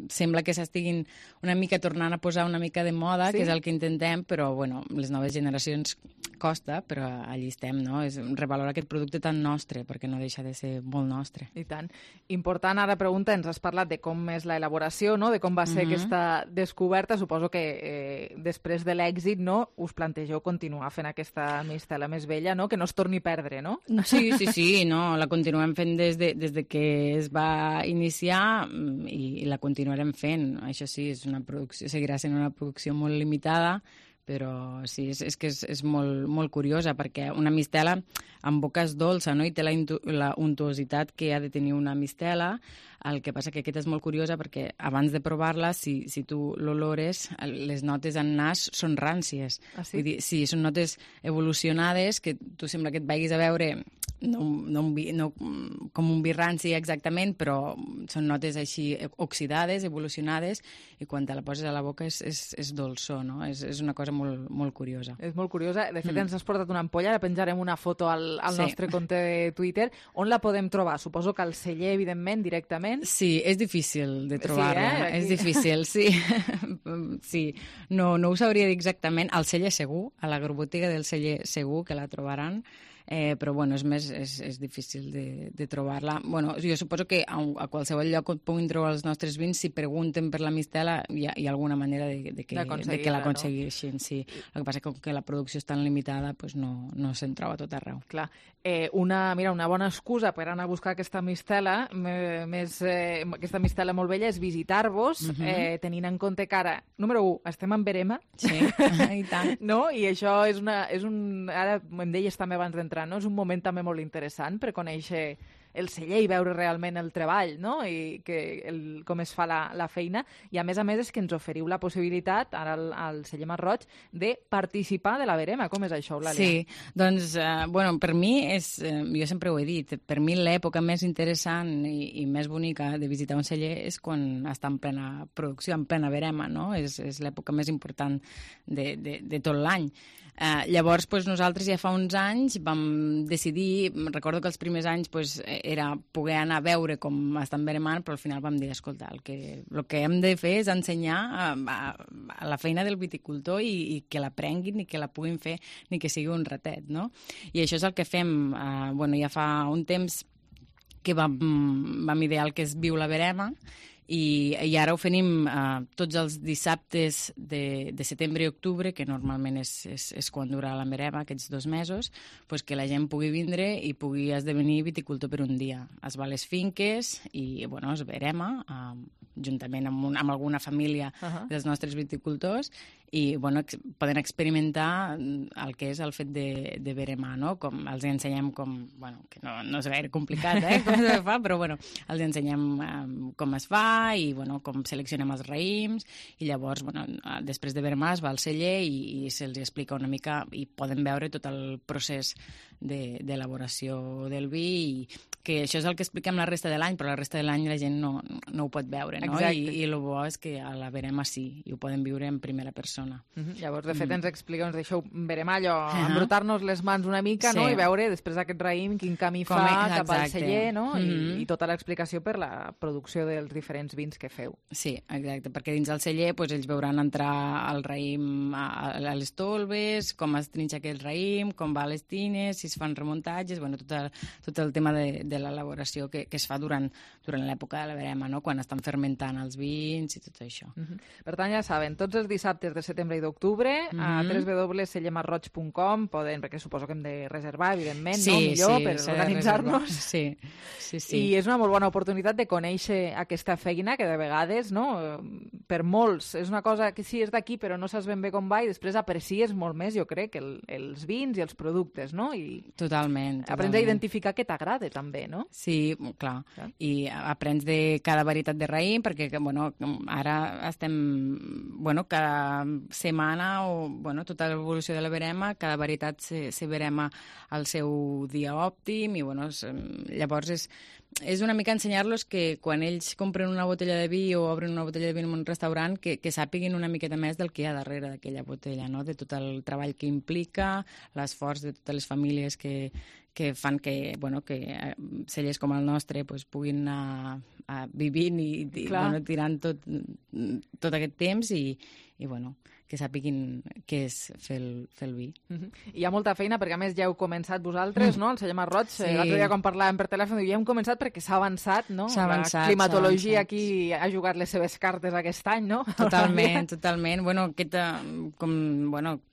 sembla que s'estiguin una mica tornant a posar una mica de moda, que és el que intentem, però, les noves generacions costa, però allí estem, no? És revalorar aquest producte tan nostre, perquè no deixa de ser molt nostre. I tant. Important, ara pregunta, ens has parlat de com és l'elaboració, no? De com va ser aquesta descoberta. Suposo que després de l'èxit, no, us plantegeu continuar fent aquesta mistela més vella, no? Que no es torni a perdre, no? Sí, no, la continuem fent des de que es va iniciar i la continuarem fent. Això sí, seguirà sent una producció molt limitada, però sí, és que és molt curiosa, perquè una mistela en boca és dolça, no? I té la untuositat que ha de tenir una mistela. El que passa que aquesta és molt curiosa perquè abans de provar-la, si tu l'olores, les notes en nas són ràncies. Ah, sí? Vull dir, sí, són notes evolucionades que tu sembla que et vagis a veure no com un vi ranci exactament, però són notes així oxidades, evolucionades, i quan te la poses a la boca és dolçó, no? És una cosa molt curiosa. És molt curiosa. De fet, ens has portat una ampolla, ara penjarem una foto al nostre compte de Twitter. On la podem trobar? Suposo que al celler, evidentment, directament. Sí, és difícil de trobar-la. És difícil, sí. Sí, no ho sabria dir exactament. Al celler segur, a l'agrobotiga del celler segur que la trobaran, però és difícil de trobar-la. Jo suposo que a qualsevol lloc on puguin trobar els nostres vins, si pregunten per la mistela, hi ha alguna manera de que l'aconsegueixin. Sí. El que passa és que la producció és tan limitada, no se'n troba tot arreu. Clar. Una bona excusa per anar a buscar aquesta mistela, aquesta mistela molt vella, és visitar-vos, tenint en compte que ara, número 1, estem en verema. Sí, i tant. No? I això ara em deies també abans d'entrar, no? És un moment també molt interessant per conèixer el celler i veure realment el treball, no? I com es fa la feina. I a més és que ens oferiu la possibilitat, ara al celler Masroig, de participar de la verema. Com és això, Eulàlia? Sí, doncs, per mi jo sempre ho he dit, per mi l'època més interessant i més bonica de visitar un celler és quan està en plena producció, en plena verema, no? És l'època més important de tot l'any. Llavors, nosaltres ja fa uns anys vam decidir, recordo que els primers anys era poder anar a veure com estan veremant, però al final vam dir, escolta, el que hem de fer és ensenyar a la feina del viticultor i que l'aprenguin i que la puguin fer, ni que sigui un ratet, no? I això és el que fem, ja fa un temps que vam idear el que es viu la verema, i ara ho fem tots els dissabtes de setembre i octubre, que normalment és quan dura la verema, aquests 2 mesos, que la gent pugui vindre i pugui esdevenir viticultor per un dia. Es va a les finques i es verema, juntament amb alguna família dels nostres viticultors, i poden experimentar el que és el fet de veremar, no? Com els ensenyem que no és gaire complicat, com se fa, però els ensenyem com es fa i com seleccionem els raïms, i llavors després de veremar es va al celler i se'ls explica una mica i poden veure tot el procés d'elaboració del vi, i que això és el que expliquem la resta de l'any, però la resta de l'any la gent no ho pot veure, no? I el bo és que a la verema sí, i ho poden viure en primera persona. Llavors, de fet, ens expliqueu, ens deixeu veremar allò, embrutar-nos les mans una mica, no? I veure després d'aquest raïm quin camí fa cap al celler, no? I tota l'explicació per la producció dels diferents vins que feu. Sí, exacte, perquè dins del celler ells veuran entrar el raïm a les tolves, com es trinxa aquell raïm, com va a les tines, si es fan remuntatges, tot el tema de de l'elaboració que es fa durant l'època de la verema, no? Quan estan fermentant els vins i tot això. Per tant, ja saben, tots els dissabtes de setembre i d'octubre a www.sellemarroig.com poden, perquè suposo que hem de reservar, evidentment, no? Millor per organitzar-nos. Sí. I és una molt bona oportunitat de conèixer aquesta feina que de vegades, no? Per molts, és una cosa que sí és d'aquí però no saps ben bé com va i després aprecies molt més, jo crec, els vins i els productes, no? I Totalment. Aprens a identificar què t'agrada, també, no? Sí, clar. I aprens de cada varietat de raïm, perquè, bueno, ara estem, bueno, cada setmana, o, bueno, tota l'evolució de la verema, cada varietat se verema al seu dia òptim, i, bueno, llavors és una mica ensenyar-los que quan ells compren una botella de vi o obren una botella de vi en un restaurant, que sàpiguin una miqueta més del que hi ha darrere d'aquella botella, no? De tot el treball que implica, l'esforç de totes les famílies que fan que, bueno, que cellers com el nostre pues, puguin anar vivint i bueno, tirant tot aquest temps i bueno, que sàpiguin què és fer el vi. Hi ha molta feina, perquè a més ja heu començat vosaltres, no? El celler Marroig, l'altre dia quan parlàvem per telèfon, ja hem començat perquè s'ha avançat, no? La climatologia aquí ha jugat les seves cartes aquest any, no? Totalment. Bueno,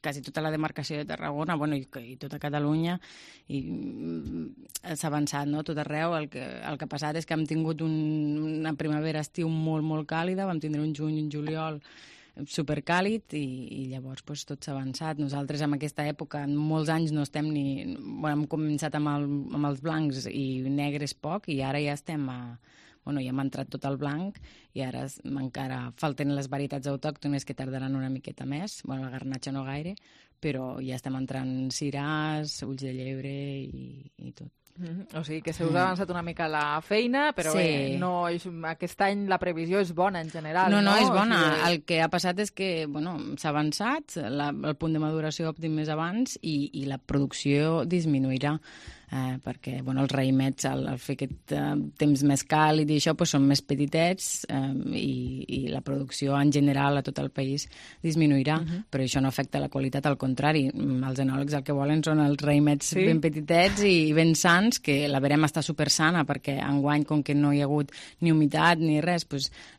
quasi tota la demarcació de Tarragona, bueno, i tota Catalunya, s'ha avançat, no? Tot arreu. El que ha passat és que hem tingut una primavera-estiu molt, molt càlida, vam tindre un juny i un juliol supercàlid i llavors pues, tot s'ha avançat. Nosaltres en aquesta època, en molts anys no estem ni... Bueno, hem començat amb els blancs i negres poc i ara ja estem ja hem entrat tot el blanc i ara encara falten les varietats autòctones que tardaran una miqueta més. Bueno, la garnatxa no gaire, però ja estem entrant ciràs, ulls de llebre i tot. O sigui que se us ha avançat una mica la feina, però bé, aquest any la previsió és bona en general. No, és bona. El que ha passat és que s'ha avançat, el punt de maduració òptim més abans i la producció disminuirà. Perquè els raïmets, al fer aquest temps més càlid i això, són més petitets i la producció en general a tot el país disminuirà, però això no afecta la qualitat, al contrari. Els enòlegs el que volen són els raïmets ben petitets i ben sans, que la verema està supersana, perquè enguany, com que no hi ha hagut ni humitat ni res,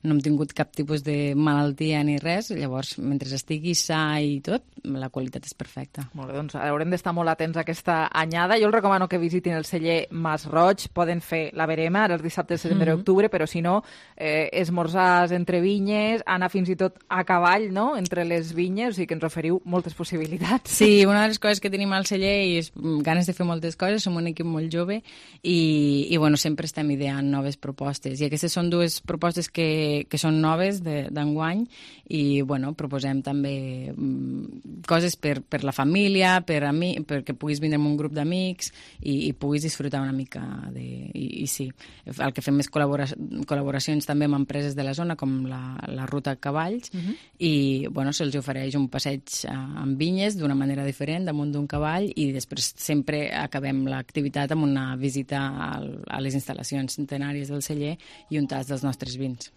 no hem tingut cap tipus de malaltia ni res, llavors, mentre estigui sa i tot, la qualitat és perfecta. Molt bé, doncs haurem d'estar molt atents a aquesta anyada. Jo els recomano que visitin el celler Mas Roig, poden fer la verema ara els dissabtes de setembre i octubre, però si no, esmorzars entre vinyes, anar fins i tot a cavall, no?, entre les vinyes, o sigui que ens oferiu moltes possibilitats. Sí, una de les coses que tenim al celler és ganes de fer moltes coses, som un equip molt jove i bueno, sempre estem ideant noves propostes, i aquestes són dues propostes que són noves d'enguany i bueno, proposem també coses per la família, perquè puguis vindre amb un grup d'amics i puguis disfrutar una mica i sí, el que fem és col·laboracions també amb empreses de la zona com la Ruta Cavalls i bueno, se'ls ofereix un passeig amb vinyes d'una manera diferent damunt d'un cavall i després sempre acabem l'activitat amb una visita a les instal·lacions centenàries del celler i un tast dels nostres vins.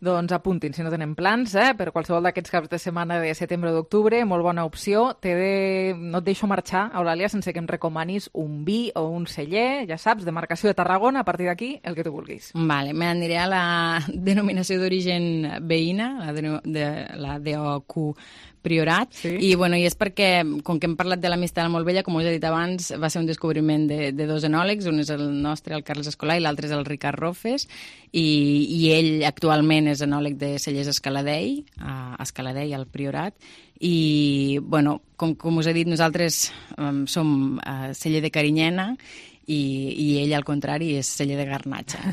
Doncs apuntin, si no tenen plans, per qualsevol d'aquests caps de setmana de setembre o d'octubre, molt bona opció. No et deixo marxar, Eulàlia, sense que em recomanis un vi o un celler, ja saps, de marcació de Tarragona, a partir d'aquí, el que tu vulguis. Vale, m'aniré a la denominació d'origen veïna, la DOQ Priorat, i és perquè, com que hem parlat de la Mistela molt vella, com us he dit abans, va ser un descobriment de dos enòlegs, un és el nostre, el Carles Escolà, i l'altre és el Ricard Rofes, i ell actualment és enòleg de cellers Escaladei, al Priorat, i, com us he dit, nosaltres som celler de Carinyena, i ell, al contrari, és celler de garnatxa.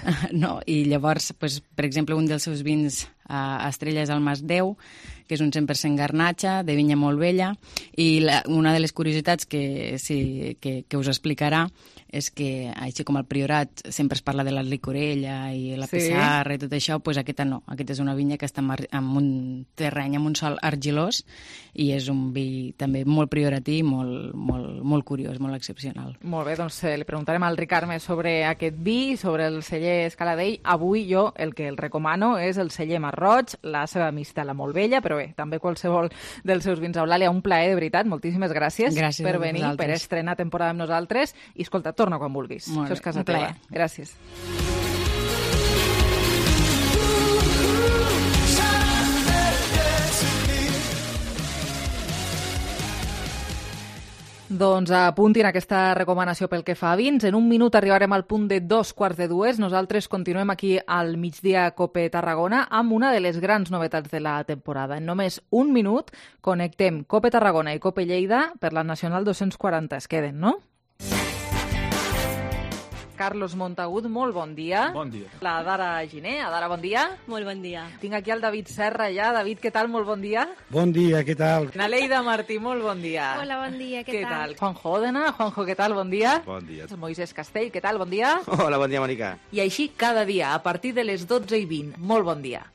I llavors, per exemple, un dels seus vins estrella és el Mas 10, que és un 100% garnatxa, de vinya molt vella, i una de les curiositats que us explicarà és que, així com al Priorat sempre es parla de la licorella i la pissarra i tot això, doncs aquesta no. Aquesta és una vinya que està en un terreny, en un sòl argilós, i és un vi també molt prioratí, molt curiós, molt excepcional. Molt bé, doncs li preguntarem al Ricard més sobre aquest vi, sobre el celler Escaladei. Avui jo el que el recomano és el celler Mas Roig, la seva mistela molt vella, però però bé, també qualsevol dels seus vins. Eulàlia, un plaer, de veritat, moltíssimes gràcies per venir, per estrenar temporada amb nosaltres, i escolta, torna quan vulguis. Molt Això és casa un plaer. teva. Gràcies. Doncs apuntin aquesta recomanació pel que fa a vins. En un minut arribarem al punt de 2:15. Nosaltres continuem aquí al Migdia Cope Tarragona amb una de les grans novetats de la temporada. En només un minut connectem Cope Tarragona i Cope Lleida per la Nacional 240. Es queden, no? Carlos Montagut, molt bon dia. Bon dia. La Dara Giner. Adara, bon dia. Molt bon dia. Tinc aquí el David Serra ja. David, què tal? Molt bon dia. Bon dia, què tal? Naleida Martí, molt bon dia. Hola, bon dia, què tal? Juanjo Òdena. Juanjo, què tal? Bon dia. Bon dia. Moisés Castell, què tal? Bon dia. Hola, bon dia, Mònica. I així cada dia, a partir de les 12:20. Molt bon dia.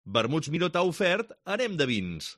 Vermuts Miró t'ha ofert Anem de vins.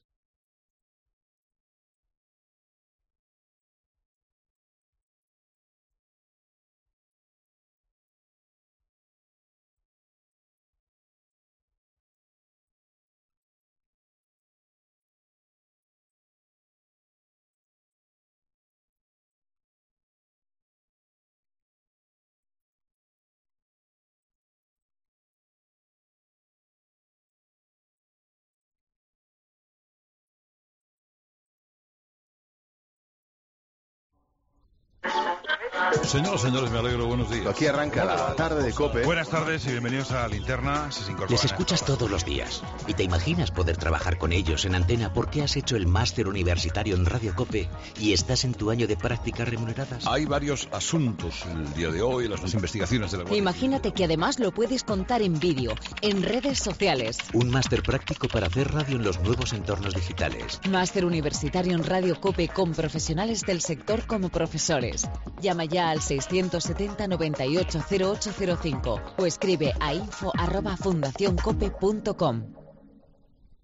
Señoras, señores, me alegro. Buenos días. Aquí arranca la tarde de COPE. Buenas tardes y bienvenidos a Linterna. Si se incorporan. Les escuchas todos los días y te imaginas poder trabajar con ellos en antena porque has hecho el máster universitario en Radio COPE y estás en tu año de prácticas remuneradas. Hay varios asuntos el día de hoy, las investigaciones de la Guardia Imagínate que además lo puedes contar en vídeo, en redes sociales. Un máster práctico para hacer radio en los nuevos entornos digitales. Máster universitario en Radio COPE con profesionales del sector como profesores. Llama ya al 670-980805 o escribe a info@fundacioncope.com.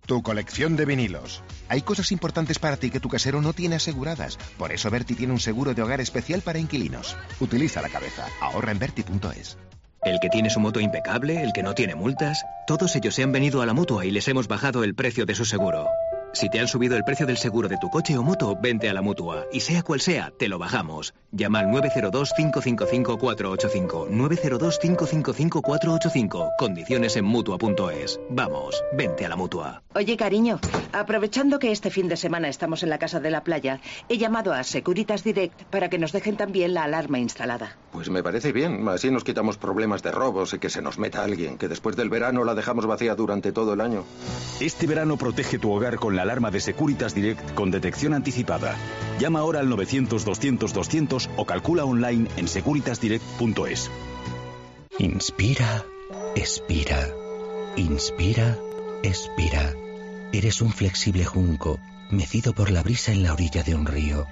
Tu colección de vinilos. Hay cosas importantes para ti que tu casero no tiene aseguradas. Por eso Berti tiene un seguro de hogar especial para inquilinos. Utiliza la cabeza. Ahorra en Berti.es. El que tiene su moto impecable, el que no tiene multas, todos ellos se han venido a la Mutua y les hemos bajado el precio de su seguro. Si te han subido el precio del seguro de tu coche o moto, vente a la Mutua. Y sea cual sea, te lo bajamos. Llama al 902-555-485. 902-555-485. Condiciones en Mutua.es. Vamos, vente a la Mutua. Oye, cariño, aprovechando que este fin de semana estamos en la casa de la playa, he llamado a Securitas Direct para que nos dejen también la alarma instalada. Pues me parece bien. Así nos quitamos problemas de robos y que se nos meta alguien, que después del verano la dejamos vacía durante todo el año. Este verano protege tu hogar con la alarma de Securitas Direct con detección anticipada. Llama ahora al 900-200-200 o calcula online en securitasdirect.es. Inspira, expira. Inspira, expira. Eres un flexible junco, mecido por la brisa en la orilla de un río.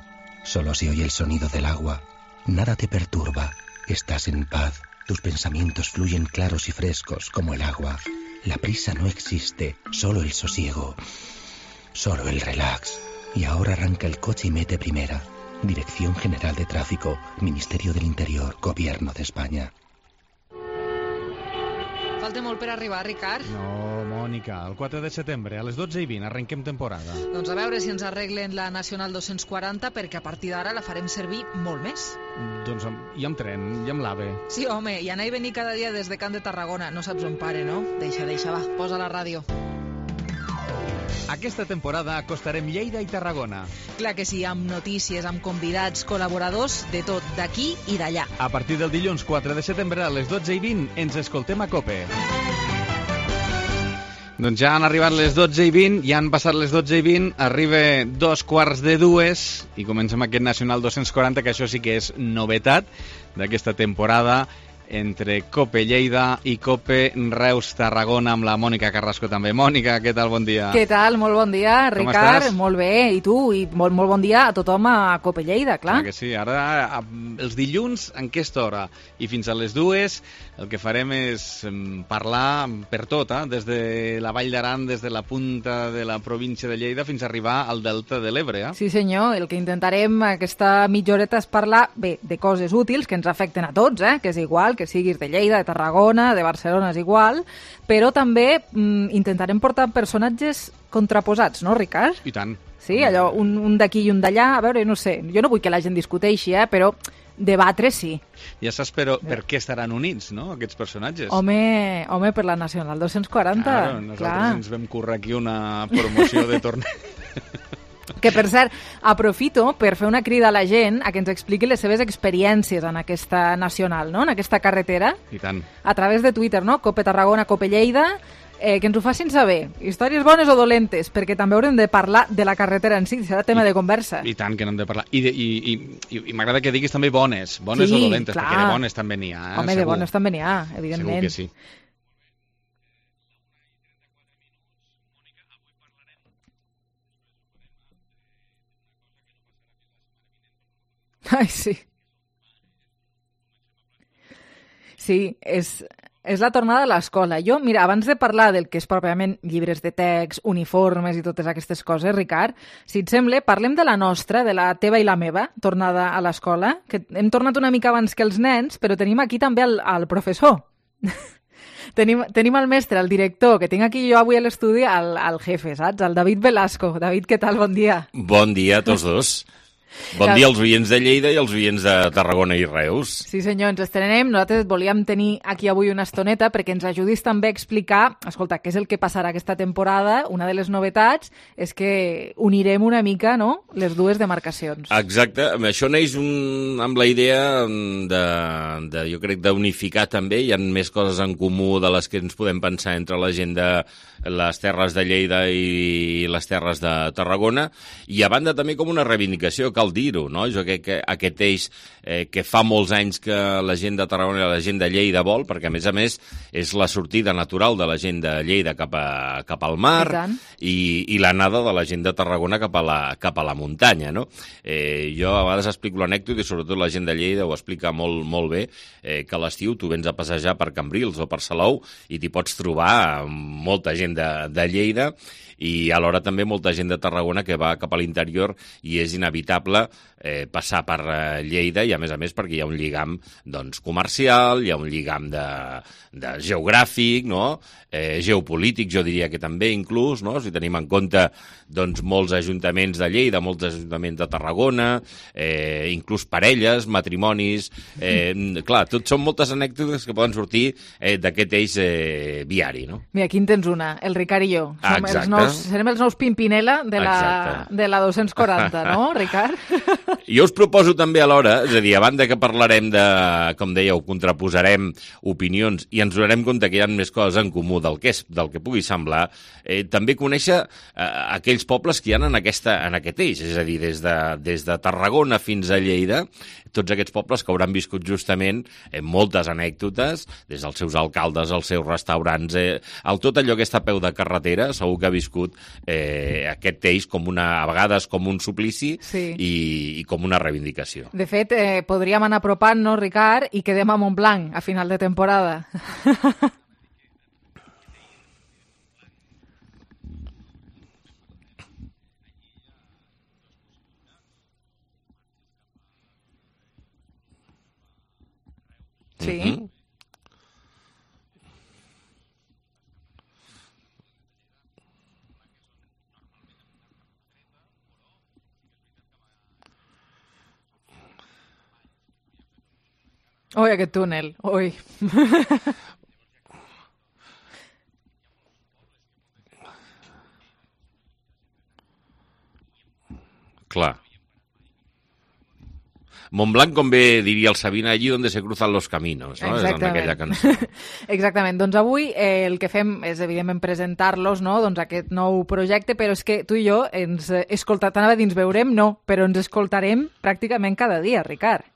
Solo se oye el sonido del agua. Nada te perturba. Estás en paz. Tus pensamientos fluyen claros y frescos como el agua. La prisa no existe, solo el sosiego. Solo el relax. Y ahora arranca el coche y mete primera. Dirección General de Tráfico, Ministerio del Interior, Gobierno de España. Falta molt per arribar, Ricard. No, Mònica, el 4 de setembre, a les 12:20, arrenquem temporada. Doncs a veure si ens arreglen la Nacional 240, perquè a partir d'ara la farem servir molt més. Doncs i amb tren, i amb l'AVE. Sí, home, i anar i venir cada dia des de Camp de Tarragona. No saps on pare, no? Deixa, va, posa la ràdio. Aquesta temporada acostarem Lleida i Tarragona. Clar que sí, amb notícies, amb convidats, col·laboradors, de tot, d'aquí i d'allà. A partir del dilluns 4 de setembre a les 12:20 ens escoltem a COPE. Doncs ja han arribat les 12:20, ja han passat les 12:20, arriba 2:15 i comencem aquest Nacional 240, que això sí que és novetat d'aquesta temporada, entre COPE Lleida i COPE Reus Tarragona, amb la Mònica Carrasco també. Mònica, què tal? Bon dia. Què tal? Molt bon dia, Ricard. Com molt bé, i tu? I molt bon dia a tothom a COPE Lleida, clar. Que sí, ara els dilluns en aquesta hora i fins a les 2 el que farem és parlar per tot, des de la Vall d'Aran, des de la punta de la província de Lleida fins a arribar al Delta de l'Ebre. Sí senyor, el que intentarem aquesta mitja horeta és parlar, bé, de coses útils que ens afecten a tots, que és igual, que que siguis de Lleida, de Tarragona, de Barcelona, és igual, però també intentarem portar personatges contraposats, no, Ricard? I tant. Sí, allò, un d'aquí i un d'allà, a veure, no sé, jo no vull que la gent discuteixi, però debatre sí. Ja saps, però, per què estaran units, no?, aquests personatges. Home, per la Nacional 240. Claro, nosaltres ens vam currar aquí una promoció de torneig. Que, per cert, aprofito per fer una crida a la gent a que ens expliqui les seves experiències en aquesta nacional, no?, en aquesta carretera. I tant. A través de Twitter, no?, Cope Tarragona, Cope Lleida, que ens ho facin saber, històries bones o dolentes, perquè també haurem de parlar de la carretera en si, serà tema de conversa. I tant que n'hem de parlar. I m'agrada que diguis també bones sí, o dolentes, clar. Perquè de bones també n'hi ha. Home, segur. De bones també n'hi ha, evidentment. Segur que sí. Ai, sí. Sí, és la tornada a l'escola. Jo, mira, abans de parlar del que és pròpiament llibres de text, uniformes i totes aquestes coses, Ricard, si et sembla, parlem de la nostra, de la teva i la meva, tornada a l'escola, que hem tornat una mica abans que els nens, però tenim aquí també el professor. Tenim el mestre, el director, que tinc aquí jo avui a l'estudi, el jefe, saps? El David Velasco. David, què tal? Bon dia. Bon dia a tots dos. Bon dia als oients de Lleida i als oients de Tarragona i Reus. Sí senyor, ens estrenem. Nosaltres et volíem tenir aquí avui una estoneta perquè ens ajudis també a explicar, escolta, què és el que passarà aquesta temporada. Una de les novetats és que unirem una mica, no?, les dues demarcacions. Exacte, això neix amb la idea de jo crec, d'unificar també. Hi ha més coses en comú de les que ens podem pensar entre la gent de les terres de Lleida i les terres de Tarragona, i a banda també com una reivindicació, cal dir-ho, no? Jo crec que aquest eix que fa molts anys que la gent de Tarragona i la gent de Lleida vol, perquè a més és la sortida natural de la gent de Lleida cap al mar i l'anada de la gent de Tarragona cap a la muntanya, no? Jo a vegades explico l'anècdota i sobretot la gent de Lleida ho explica molt, molt bé, que a l'estiu tu vens a passejar per Cambrils o per Salou i t'hi pots trobar molta gent de Lleida i alhora també molta gent de Tarragona que va cap a l'interior i és inevitable passar per Lleida i a més perquè hi ha un lligam doncs, comercial, hi ha un lligam de geogràfic, no? Geopolític, jo diria que també inclús, no? Si tenim en compte doncs, molts ajuntaments de Lleida, molts ajuntaments de Tarragona, inclús parelles, matrimonis, clar, tot són moltes anècdotes que poden sortir d'aquest eix viari, no? Mira, aquí en tens una, el Ricard i jo. Serem els nous Pimpinela de la 240, no, Ricard? Jo us proposo també alhora, és a dir, a banda que parlarem de, com dèieu, contraposarem opinions i ens donarem compte que hi ha més coses en comú del que pugui semblar, també conèixer aquells pobles que hi ha en aquest eix, és a dir, des de Tarragona fins a Lleida, tots aquests pobles que hauran viscut justament moltes anècdotes, des dels seus alcaldes, els seus restaurants, tot allò que està a peu de carretera, segur que ha viscut aquest eix a vegades com un suplici i com una reivindicació. De fet, podríem anar apropant-nos, Ricard, i quedem a Montblanc a final de temporada. Sí. Ui, aquest túnel, ui. Clar. Montblanc, com bé diria el Sabina, allí on se cruzan los caminos, no? És en aquella cançó. Exactament. Doncs avui el que fem és, evidentment, presentar-los, no?, doncs aquest nou projecte, però és que tu i jo ens veurem, no, però ens escoltarem pràcticament cada dia, Ricard.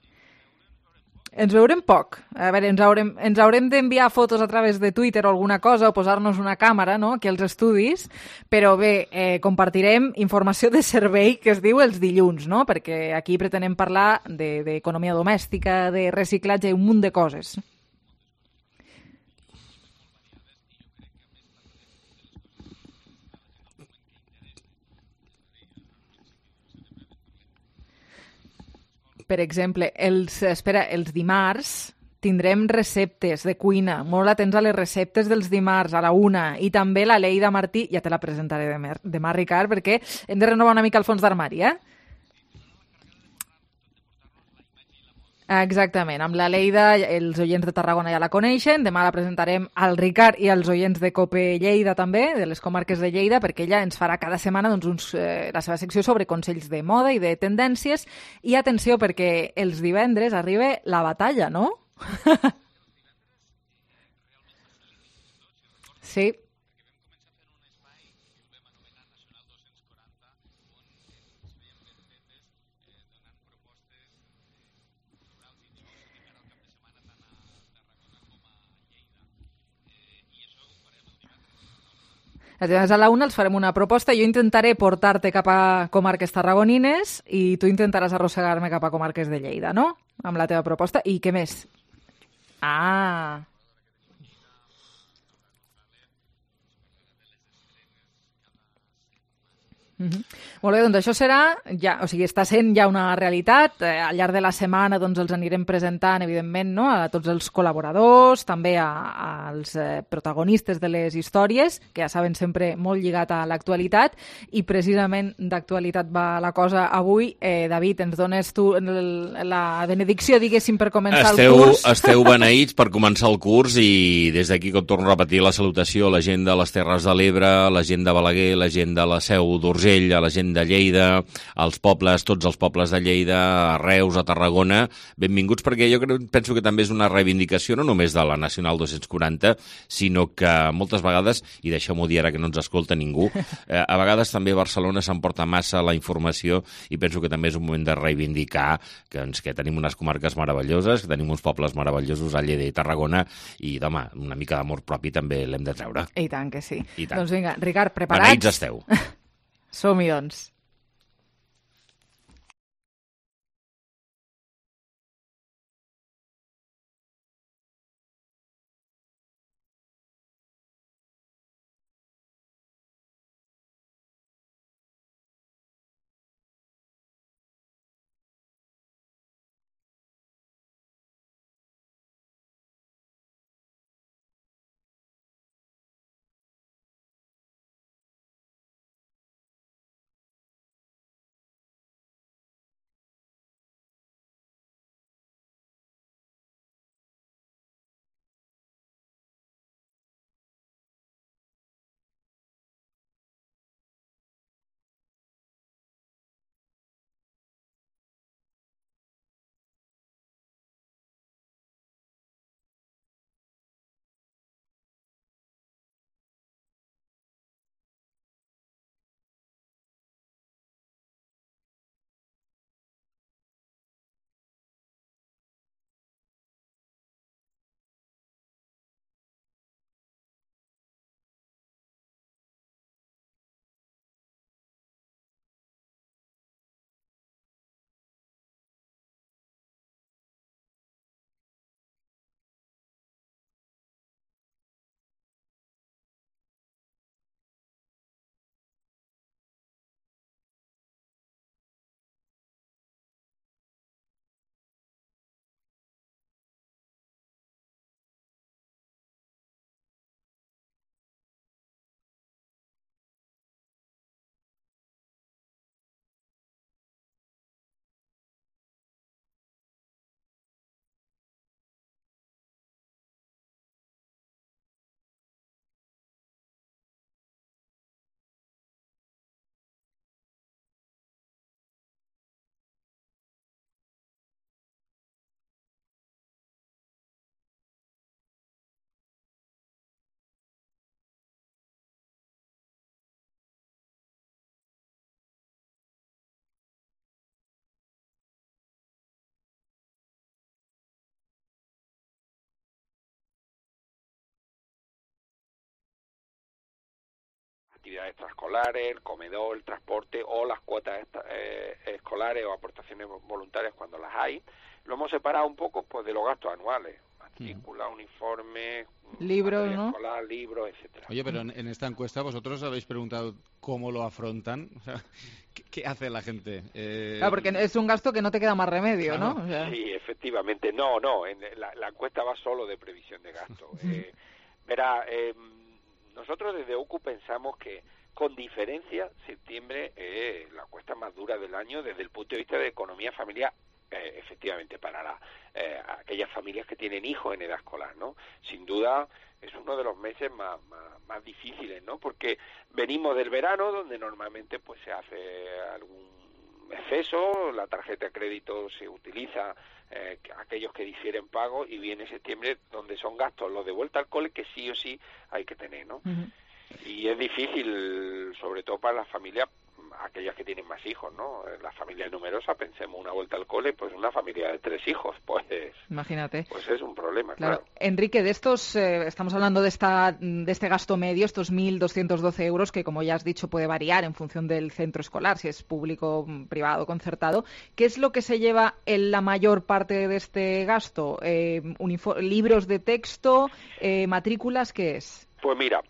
Ens veurem poc. A veure, ens haurem d'enviar fotos a través de Twitter o alguna cosa, o posar-nos una càmera, no?, aquí als estudis, però bé, compartirem informació de servei que es diu els dilluns, no?, perquè aquí pretenem parlar d'economia domèstica, de reciclatge i un munt de coses. Per exemple, els dimarts tindrem receptes de cuina, molt atents a les receptes dels dimarts a la 1, i també la Leida Martí, ja te la presentaré demà, Ricard, perquè hem de renovar una mica el fons d'armari, Exactament, amb la Leida els oients de Tarragona ja la coneixen, demà la presentarem al Ricard i als oients de COPE Lleida també, de les comarques de Lleida, perquè ella ens farà cada setmana la seva secció sobre consells de moda i de tendències, i atenció perquè els divendres arriba la batalla, no? Sí. Llavors a la 1 els farem una proposta, jo intentaré portar-te cap a comarques tarragonines i tu intentaràs arrossegar-me cap a comarques de Lleida, no? Amb la teva proposta. I què més? Ah... Molt bé, doncs això serà, està sent ja una realitat. Al llarg de la setmana doncs els anirem presentant, evidentment, no? A tots els col·laboradors, també als protagonistes de les històries, que ja saben, sempre molt lligat a l'actualitat, i precisament d'actualitat va la cosa avui. David, ens dones tu la benedicció, diguéssim, per començar el curs? Esteu beneïts per començar el curs, i des d'aquí, com torno a repetir, la salutació a la gent de les Terres de l'Ebre, a la gent de Balaguer, a la gent de la Seu d'Urgell, a la gent de Lleida, als pobles, tots els pobles de Lleida, a Reus, a Tarragona, benvinguts, perquè jo penso que també és una reivindicació no només de la Nacional 240, sinó que moltes vegades, i deixeu-m'ho dir ara que no ens escolta ningú, a vegades també a Barcelona s'emporta massa la informació, i penso que també és un moment de reivindicar que tenim unes comarques meravelloses, que tenim uns pobles meravellosos a Lleida i Tarragona, i, home, una mica d'amor propi també l'hem de treure. I tant que sí. I tant. Doncs vinga, Ricard, preparats? Beneïts esteu. Som-hi, doncs. Actividades extraescolares, el comedor, el transporte o las cuotas escolares o aportaciones voluntarias cuando las hay. Lo hemos separado un poco pues de los gastos anuales, matrícula, uniforme, libros, ¿no? escolar, libros, etcétera. Oye, pero en esta encuesta vosotros habéis preguntado cómo lo afrontan, o sea, ¿qué hace la gente? Claro, porque es un gasto que no te queda más remedio, claro, ¿no? O sea... Sí, efectivamente. No, la encuesta va solo de previsión de gasto. Verá, nosotros desde OCU pensamos que, con diferencia, septiembre es la encuesta más dura del año desde el punto de vista de economía familiar, efectivamente, para aquellas familias que tienen hijos en edad escolar, ¿no? Sin duda es uno de los meses más difíciles, ¿no? Porque venimos del verano, donde normalmente pues se hace algún exceso, la tarjeta de crédito se utiliza, aquellos que difieren pago, y viene septiembre, donde son gastos los de vuelta al cole que sí o sí hay que tener, ¿no? Y es difícil, sobre todo para las familias, aquellas que tienen más hijos, ¿no? Las familias numerosas, pensemos una vuelta al cole, pues una familia de 3 hijos, pues imagínate. Pues es un problema, claro. Enrique, de estos, estamos hablando de este gasto medio, estos 1.212 euros, que como ya has dicho puede variar en función del centro escolar, si es público, privado, concertado. ¿Qué es lo que se lleva en la mayor parte de este gasto? ¿Libros de texto, matrículas, qué es? Pues mira,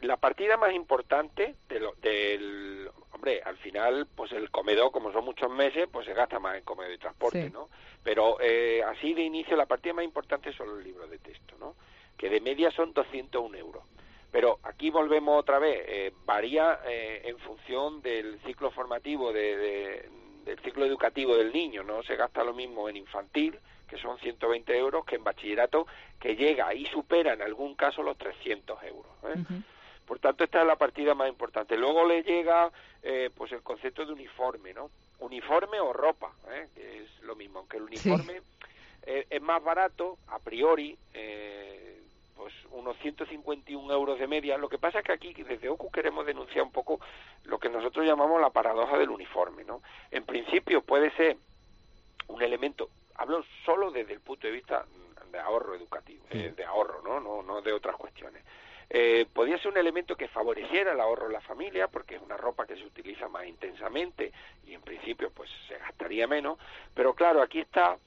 la partida más importante hombre, al final, pues el comedor, como son muchos meses, pues se gasta más en comedor y transporte, sí, ¿no? Pero así de inicio, la partida más importante son los libros de texto, ¿no? Que de media son 201 euros. Pero aquí volvemos otra vez, varía en función del ciclo formativo, del ciclo educativo del niño, ¿no? Se gasta lo mismo en infantil, que son 120 euros, que en bachillerato, que llega y supera en algún caso los 300 euros, ¿eh? Por tanto, esta es la partida más importante. Luego le llega pues el concepto de uniforme, ¿no? Uniforme o ropa, que es lo mismo, aunque el uniforme es más barato, a priori, pues unos 151 euros de media. Lo que pasa es que aquí, desde OCU, queremos denunciar un poco lo que nosotros llamamos la paradoja del uniforme, ¿no? En principio puede ser un elemento, hablo solo desde el punto de vista de ahorro educativo, de ahorro, no de otras cuestiones. Podría ser un elemento que favoreciera el ahorro en la familia, porque es una ropa que se utiliza más intensamente y en principio pues se gastaría menos, pero claro, aquí está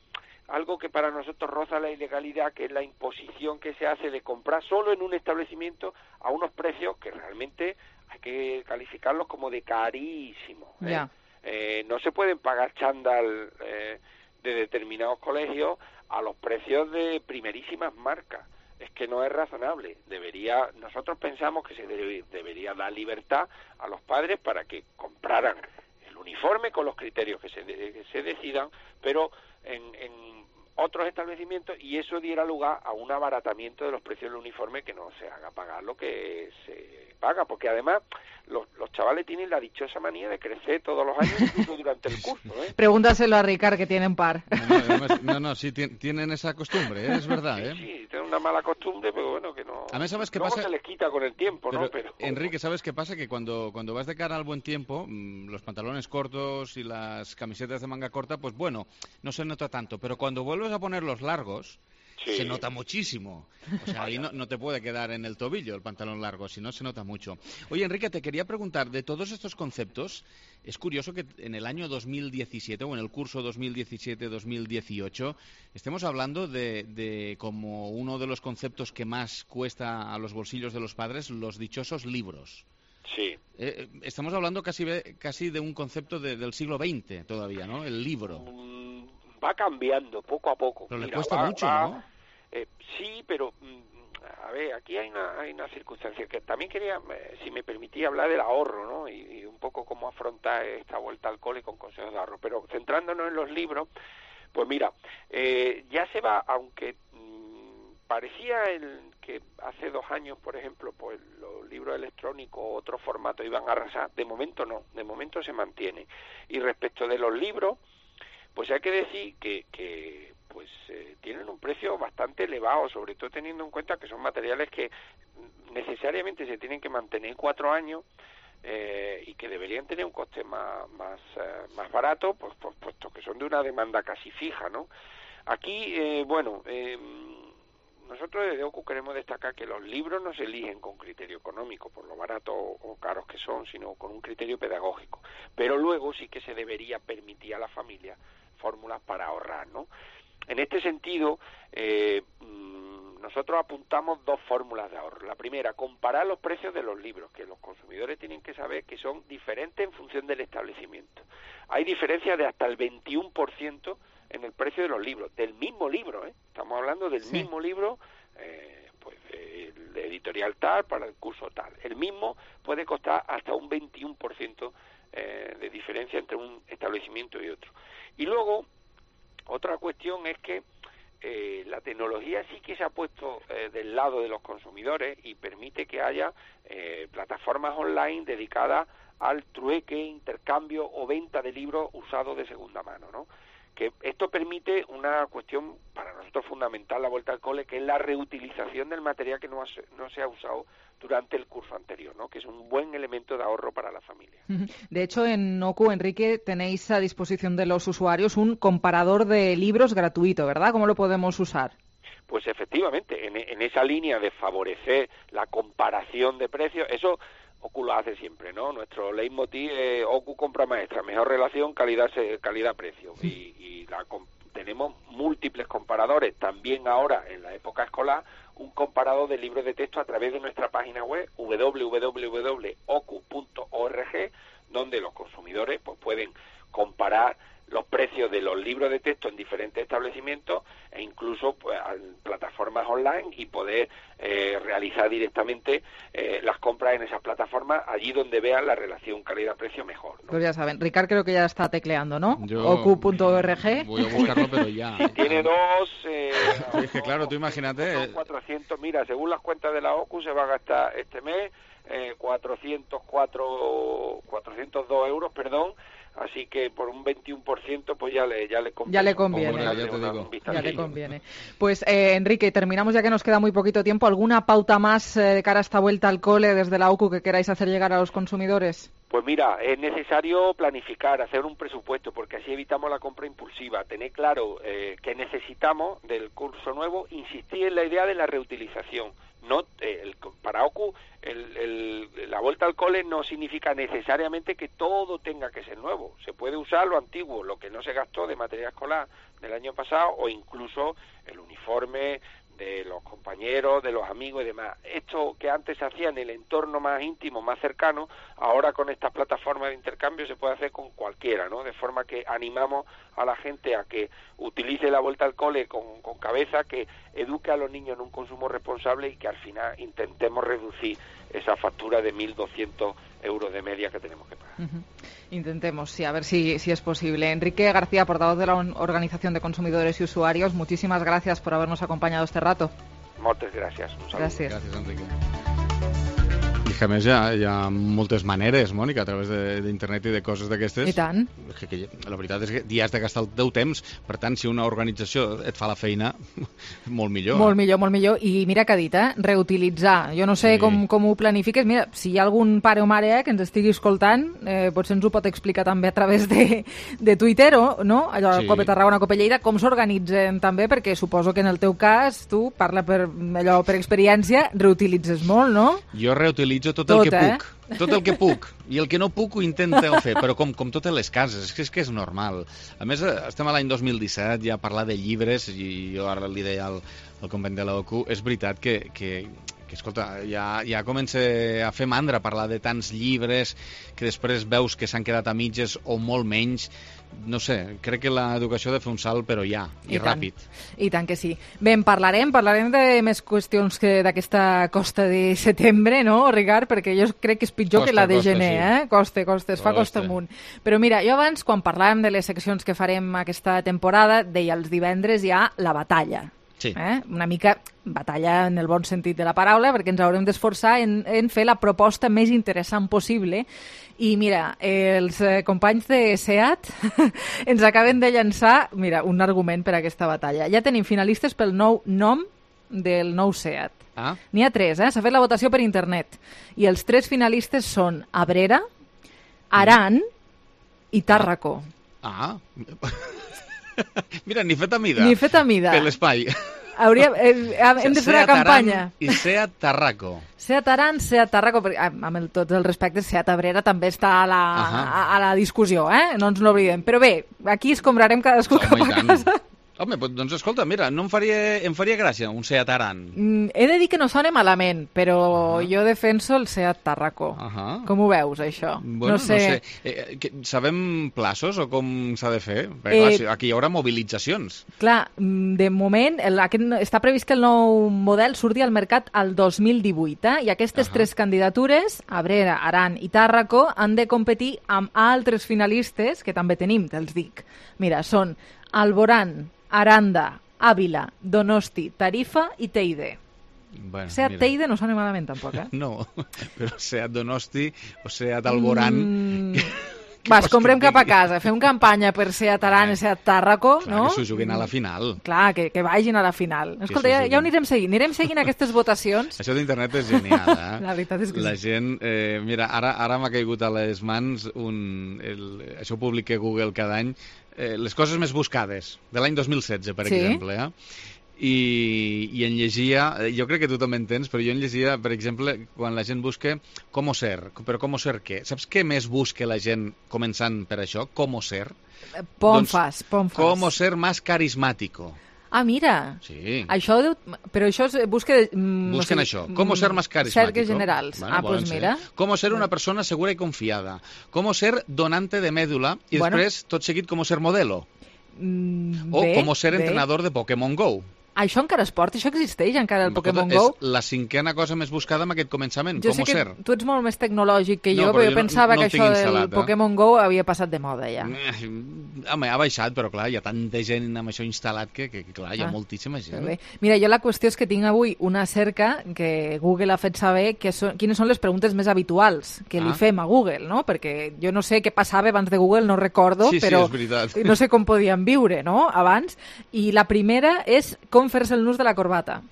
algo que para nosotros roza la ilegalidad, que es la imposición que se hace de comprar solo en un establecimiento a unos precios que realmente hay que calificarlos como de carísimos, ¿eh? No se pueden pagar chándal de determinados colegios a los precios de primerísimas marcas. Es que no es razonable. Nosotros pensamos que se debería dar libertad a los padres para que compraran el uniforme con los criterios que se decidan, pero en otros establecimientos, y eso diera lugar a un abaratamiento de los precios del uniforme, que no se haga pagar lo que se paga, porque además los chavales tienen la dichosa manía de crecer todos los años, incluso durante el curso, ¿eh? Pregúntaselo a Ricard, que tienen par. Sí, tienen esa costumbre, es verdad, ¿eh? Sí, tienen una mala costumbre, pero bueno, que no... A mí, ¿sabes qué luego pasa? Se les quita con el tiempo, ¿no? Pero Enrique, ¿sabes qué pasa? Que cuando vas de cara al buen tiempo, los pantalones cortos y las camisetas de manga corta, pues bueno, no se nota tanto, pero cuando vuelves a ponerlos largos, se nota muchísimo. O sea, ahí no te puede quedar en el tobillo el pantalón largo, si no se nota mucho. Oye, Enrique, te quería preguntar, de todos estos conceptos, es curioso que en el año 2017, o en el curso 2017-2018, estemos hablando de como uno de los conceptos que más cuesta a los bolsillos de los padres, los dichosos libros. Sí. Estamos hablando casi de un concepto del siglo XX todavía, ¿no? El libro. Va cambiando poco a poco. Pero le cuesta mucho, ¿no? Sí, pero a ver, aquí hay una circunstancia que también quería, si me permitía, hablar del ahorro, ¿no? Y un poco cómo afrontar esta vuelta al cole con consejos de ahorro. Pero centrándonos en los libros, pues mira, ya se va, aunque parecía que hace 2 años, por ejemplo, pues los libros electrónicos o otros formatos iban a arrasar. De momento no, de momento se mantiene. Y respecto de los libros, pues hay que decir que tienen un precio bastante elevado, sobre todo teniendo en cuenta que son materiales que necesariamente se tienen que mantener 4 años y que deberían tener un coste más barato, pues puesto que son de una demanda casi fija, ¿no? Aquí, nosotros desde OCU queremos destacar que los libros no se eligen con criterio económico, por lo baratos o caros que son, sino con un criterio pedagógico. Pero luego sí que se debería permitir a la familia fórmulas para ahorrar, ¿no? En este sentido, nosotros apuntamos dos fórmulas de ahorro. La primera, comparar los precios de los libros, que los consumidores tienen que saber que son diferentes en función del establecimiento. Hay diferencias de hasta el 21% en el precio de los libros, del mismo libro, estamos hablando del mismo libro, pues de editorial tal para el curso tal. El mismo puede costar hasta un 21% de diferencia entre un establecimiento y otro. Y luego, otra cuestión es que la tecnología sí que se ha puesto del lado de los consumidores y permite que haya plataformas online dedicadas al trueque, intercambio o venta de libros usados de segunda mano, ¿no? Que esto permite una cuestión para nosotros fundamental, la vuelta al cole, que es la reutilización del material que no se ha usado durante el curso anterior, ¿no? Que es un buen elemento de ahorro para la familia. De hecho, en OCU, Enrique, tenéis a disposición de los usuarios un comparador de libros gratuito, ¿verdad? ¿Cómo lo podemos usar? Pues efectivamente, en esa línea de favorecer la comparación de precios, eso OCU lo hace siempre, ¿no? Nuestro leitmotiv es OCU compra maestra, mejor relación calidad-precio. Y tenemos múltiples comparadores, también ahora en la época escolar, un comparador de libros de texto a través de nuestra página web www.ocu.org, donde los consumidores pues pueden comparar los precios de los libros de texto en diferentes establecimientos e incluso pues, en plataformas online y poder realizar directamente las compras en esas plataformas allí donde vean la relación calidad-precio mejor, ¿no? Pues ya saben, Ricard creo que ya está tecleando, ¿no? Voy ocu.org. a buscarlo, pero ya. Tiene dos... es que claro, tú imagínate... 400, mira, según las cuentas de la OCU se va a gastar este mes 402 euros, así que por un 21% pues ya le conviene. Ya le conviene. Hombre, ya te digo. Ya le conviene. Pues Enrique, terminamos ya que nos queda muy poquito tiempo. ¿Alguna pauta más de cara a esta vuelta al cole desde la OCU que queráis hacer llegar a los consumidores? Pues mira, es necesario planificar, hacer un presupuesto, porque así evitamos la compra impulsiva, tener claro que necesitamos del curso nuevo, insistir en la idea de la reutilización. No, para OCU la vuelta al cole no significa necesariamente que todo tenga que ser nuevo. Se puede usar lo antiguo, lo que no se gastó de material escolar del año pasado, o incluso el uniforme de los compañeros, de los amigos y demás. Esto que antes se hacía en el entorno más íntimo, más cercano, ahora con estas plataformas de intercambio se puede hacer con cualquiera, ¿no? De forma que animamos a la gente a que utilice la vuelta al cole con cabeza, que eduque a los niños en un consumo responsable y que al final intentemos reducir esa factura de 1.200 euros de media que tenemos que pagar. Intentemos, sí, a ver si es posible. Enrique García, portavoz de la Organización de Consumidores y Usuarios, muchísimas gracias por habernos acompañado este rato. Moltes gràcies. Un saludo. Gràcies. Gràcies, Enrique. I que a més hi ha moltes maneres, Mònica, a través d'internet i de coses d'aquestes. I tant. Que la veritat és que hi has de gastar el teu temps, per tant, si una organització et fa la feina, molt millor. Molt millor, molt millor. I mira que ha dit, reutilitzar. Jo no sé com ho planifiques. Mira, si hi ha algun pare o mare que ens estigui escoltant, potser ens ho pot explicar també a través de Twitter, no? Allò, sí. Cope Tarragona, Cope Lleida, com s'organitzen també, perquè suposo que en el teu cas, tu, parla per experiència, reutilitzes molt, no? Jo reutilitzo tot el que puc. Tot el que puc. I el que no puc ho intento fer, però com totes les cases, és que és normal. A més, estem a l'any 2017, ja a parlar de llibres, i jo ara li deia al company de l'OCU, és veritat que escolta, ja comença a fer mandra parlar de tants llibres que després veus que s'han quedat a mitges o molt menys. No sé, crec que l'educació ha de fer un salt, però ja, i ràpid. I tant que sí. Bé, parlarem de més qüestions d'aquesta costa de setembre, no, Ricard? Perquè jo crec que és pitjor que la de gener, sí. Costa, es fa costa amunt. Però mira, jo abans, quan parlàvem de les seccions que farem aquesta temporada, deia els divendres hi ha la batalla. Sí. Una mica batalla en el bon sentit de la paraula, perquè ens haurem d'esforçar en fer la proposta més interessant possible. I mira, els companys de SEAT ens acaben de llançar, mira, un argument per a aquesta batalla. Ja tenim finalistes pel nou nom del nou SEAT. N'hi ha 3, s'ha fet la votació per internet. I els 3 finalistes són Abrera, Aran i Tàrraco. Mira, ni fet a mida. Ni fet a mida. Per l'espai. Hem de fer una campanya. I Seat Tarraco. Seat Aran, Seat Tarraco, amb tots els respectes, Seat Abrera també està a la discussió, no ens n'oblidem. Però bé, aquí escombrarem cadascú cap a casa. Home, doncs escolta, mira, no em faria gràcia un Seat Aran. He de dir que no sona malament, però jo defenso el Seat Tarraco. Com ho veus, això? Bueno, no sé. Sabem plaços o com s'ha de fer? Perquè, clar, aquí hi haurà mobilitzacions. Clar, de moment està previst que el nou model surti al mercat al 2018, i aquestes tres candidatures, Abrera, Aran i Tarraco, han de competir amb altres finalistes, que també tenim, te'ls dic. Mira, són Alborán, Aranda, Ávila, Donosti, Tarifa i Teide. Bueno, Seat Teide no sona malament, tampoc, No, però Seat Donosti o Seat Alborán... Va, escombrem cap a casa, fem campanya per Seat Aran i Seat Tarraco, no? Que s'ho juguen a la final. Clar, que vagin a la final. Escolta, ja ho anirem seguint aquestes votacions. Això d'internet és genial, eh? La veritat és que la gent, mira, ara m'ha caigut a les mans això ho publica Google cada any, les coses més buscades, de l'any 2016, per exemple, i en llegia, jo crec que tu també entens, però jo en llegia, per exemple, quan la gent busca «Cómo ser», però «Cómo ser què?» Saps què més busca la gent començant per això? «Cómo ser». Pomfas. «Cómo ser más carismático». Ah, mira. Sí. Però això es busca... Busquen això. ¿Cómo ser más carismático? Cerques generals. Bueno, pues mira. ¿Cómo ser una persona segura y confiada? ¿Cómo ser donante de médula? I després, tot seguit, ¿cómo ser modelo? O ¿cómo ser entrenador de Pokémon GO? Això encara es porta? Això existeix encara, el Pokémon GO? És la cinquena cosa més buscada amb aquest començament. Jo sé que tu ets molt més tecnològic que jo, però jo pensava que això del Pokémon GO havia passat de moda ja. Home, ha baixat, però clar, hi ha tanta gent amb això instal·lat que clar, hi ha moltíssima gent. Mira, jo la qüestió és que tinc avui una cerca que Google ha fet saber quines són les preguntes més habituals que li fem a Google, no? Perquè jo no sé què passava abans de Google, no recordo, però no sé com podíem viure, no?, abans. I la primera és com fer-se el nus de la corbata.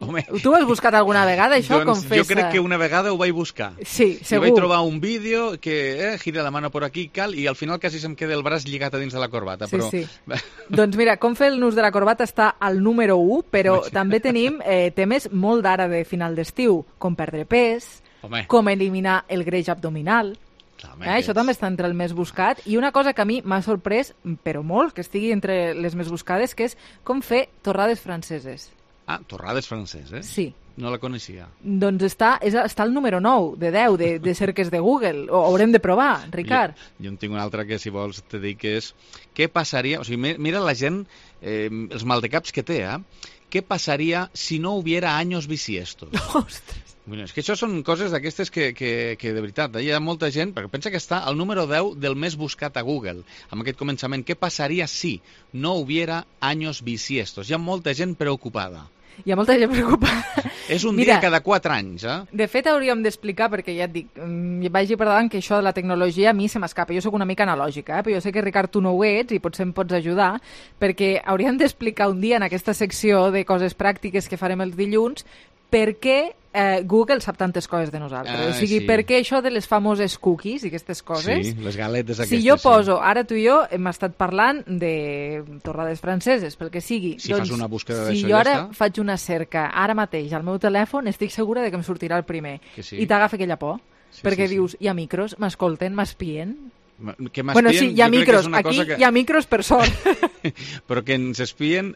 Home, tu ho has buscat alguna vegada, això? Doncs jo crec que una vegada ho vaig buscar. Sí, segur. I vaig trobar un vídeo que gira la mano por aquí i al final quasi se'm queda el braç lligat a dins de la corbata. Sí, sí. Doncs mira, com fer el nus de la corbata està al número 1, però també tenim temes molt d'ara de final d'estiu, com perdre pes, com eliminar el greix abdominal. Això també està entre el més buscat, i una cosa que a mi m'ha sorprès, però molt, que estigui entre les més buscades, que és com fer torrades franceses. Ah, torrades franceses? Sí. No la coneixia. Doncs està al número 9 de 10 de cerques de Google. Ho haurem de provar, Ricard. Jo en tinc una altra que, si vols, te dic que és què passaria... O sigui, mira la gent, els maldecaps que té, què passaria si no hubiera años bisiestos? Ostres! Bueno, és que això són coses d'aquestes que de veritat, hi ha molta gent, perquè pensa que està al número 10 del més buscat a Google, amb aquest començament. Què passaria si no hubiera años bisiestos? Hi ha molta gent preocupada. Hi ha molta gent preocupada. És un dia cada 4 anys, De fet, hauríem d'explicar, perquè ja et dic, vagi per davant que això de la tecnologia a mi se m'escapa. Jo sóc una mica analògica, però jo sé que, Ricard, tu no ho ets i potser em pots ajudar, perquè hauríem d'explicar un dia en aquesta secció de coses pràctiques que farem els dilluns per què Google sap tantes coses de nosaltres. O sigui, per què això de les famoses cookies i aquestes coses? Sí, les galetes aquestes. Si jo poso, ara tu i jo hem estat parlant de torrades franceses, pel que sigui. Si fas una búsqueda d'això, si jo ara faig una cerca, ara mateix, al meu telèfon, estic segura de que em sortirà el primer. I t'agafa aquella por. Perquè dius, hi ha micros, m'escolten, m'espien... Bueno, sí, hi ha micros, aquí hi ha micros per sort. Però que ens espien,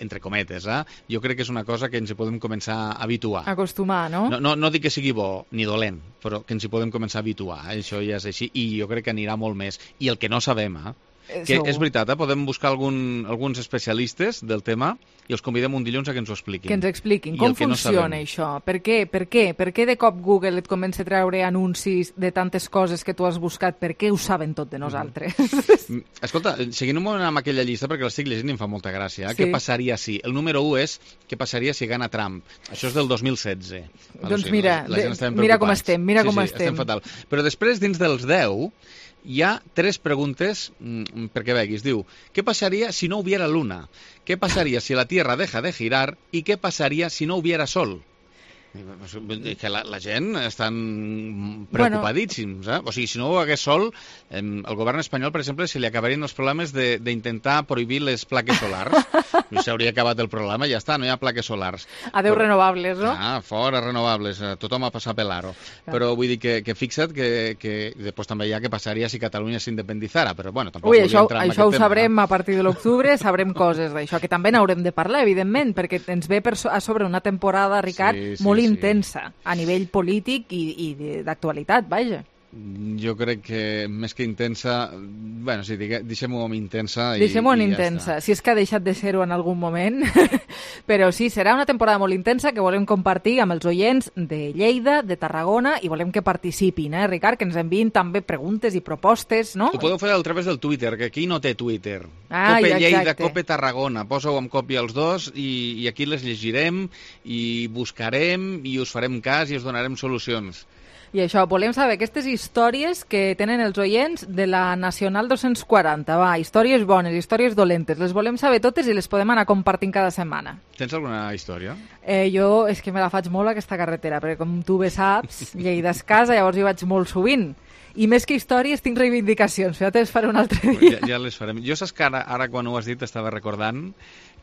entre cometes, jo crec que és una cosa que ens hi podem començar a habituar. Acostumar, no? No dic que sigui bo ni dolent, però que ens hi podem començar a habituar, això ja és així, i jo crec que anirà molt més. I el que no sabem, que és veritat, podem buscar alguns especialistes del tema i els convidem un dilluns a que ens ho expliquin. Que ens expliquin com funciona això. Per què? Per què de cop Google et comença a treure anuncis de tantes coses que tu has buscat? Per què ho saben tot de nosaltres? Escolta, seguint un moment amb aquella llista, perquè l'estic llegint i em fa molta gràcia. Què passaria si... El número 1 és què passaria si gana Trump. Això és del 2016. Doncs mira com estem. Estem fatal. Però després, dins dels 10... hi ha 3 preguntes perquè veguis. Diu, ¿qué pasaría si no hubiera luna? ¿Qué pasaría si la Tierra deja de girar? ¿Y qué pasaría si no hubiera sol? Que la gent estan preocupadíssims. O sigui, si no ho hagués sol, el govern espanyol, per exemple, se li acabarien els problemes d'intentar prohibir les plaques solars. S'hauria acabat el problema, ja està, no hi ha plaques solars. Adeu renovables, no? Fora renovables, tothom a passar per l'aro. Però vull dir que fixa't que després també hi ha que passaria si Catalunya s'independitzara, però bueno, tampoc volia entrar en aquest tema. Això ho sabrem a partir de l'octubre, sabrem coses d'això, que també n'haurem de parlar, evidentment, perquè ens ve a sobre una temporada, Ricard, molt intensa a nivell polític i d'actualitat, vaja. Jo crec que més que intensa, bueno, sí, deixem-ho amb intensa i deixem-ho en ja intensa, està. si és que ha deixat de ser-ho en algun moment, però sí, serà una temporada molt intensa que volem compartir amb els oients de Lleida, de Tarragona, i volem que participin, Ricard, que ens enviïn també preguntes i propostes, no? Ho podeu fer a través del Twitter, que aquí no té Twitter. Cope Lleida, Cope Tarragona, poseu amb còpia els dos i aquí les llegirem i buscarem i us farem cas i us donarem solucions. I això, volem saber aquestes històries que tenen els oients de la Nacional 240. Va, històries bones, històries dolentes. Les volem saber totes i les podem anar compartint cada setmana. Tens alguna història? Jo és que me la faig molt aquesta carretera, perquè com tu bé saps, Lleida és casa, llavors hi vaig molt sovint. I més que històries tinc reivindicacions, ja te les faré un altre dia. Ja les farem. Jo saps que ara quan ho has dit estava recordant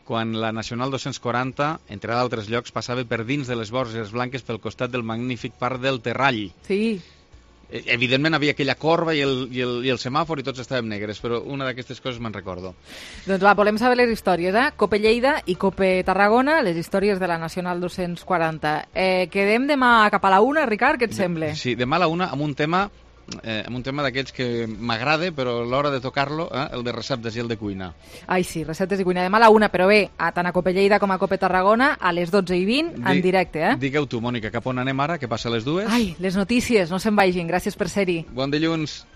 quan la Nacional 240, entre d'altres llocs, passava per dins de les Borges Blanques pel costat del magnífic parc del Terrall. Sí. Evidentment havia aquella corba i el semàfor i tots estàvem negres, però una d'aquestes coses me'n recordo. Doncs va, volem saber les històries, Cope Lleida i Cope Tarragona, les històries de la Nacional 240. Quedem demà cap a la 1, Ricard, què et sembla? Sí, demà a la 1 amb un tema d'aquells que m'agrada, però a l'hora de tocar-lo, el de receptes i el de cuina. Ai, sí, receptes i cuina. Demà a la 1, però bé, tant a Cope Lleida com a Cope Tarragona, a les 12:20, en directe, Digueu tu, Mònica, cap on anem ara, que passa a les 2? Ai, les notícies, no se'n vagin, gràcies per ser-hi. Bon dilluns.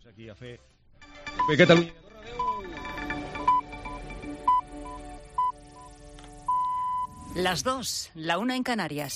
Aquí a fer Catalunya. Las 2, la 1 en Canarias.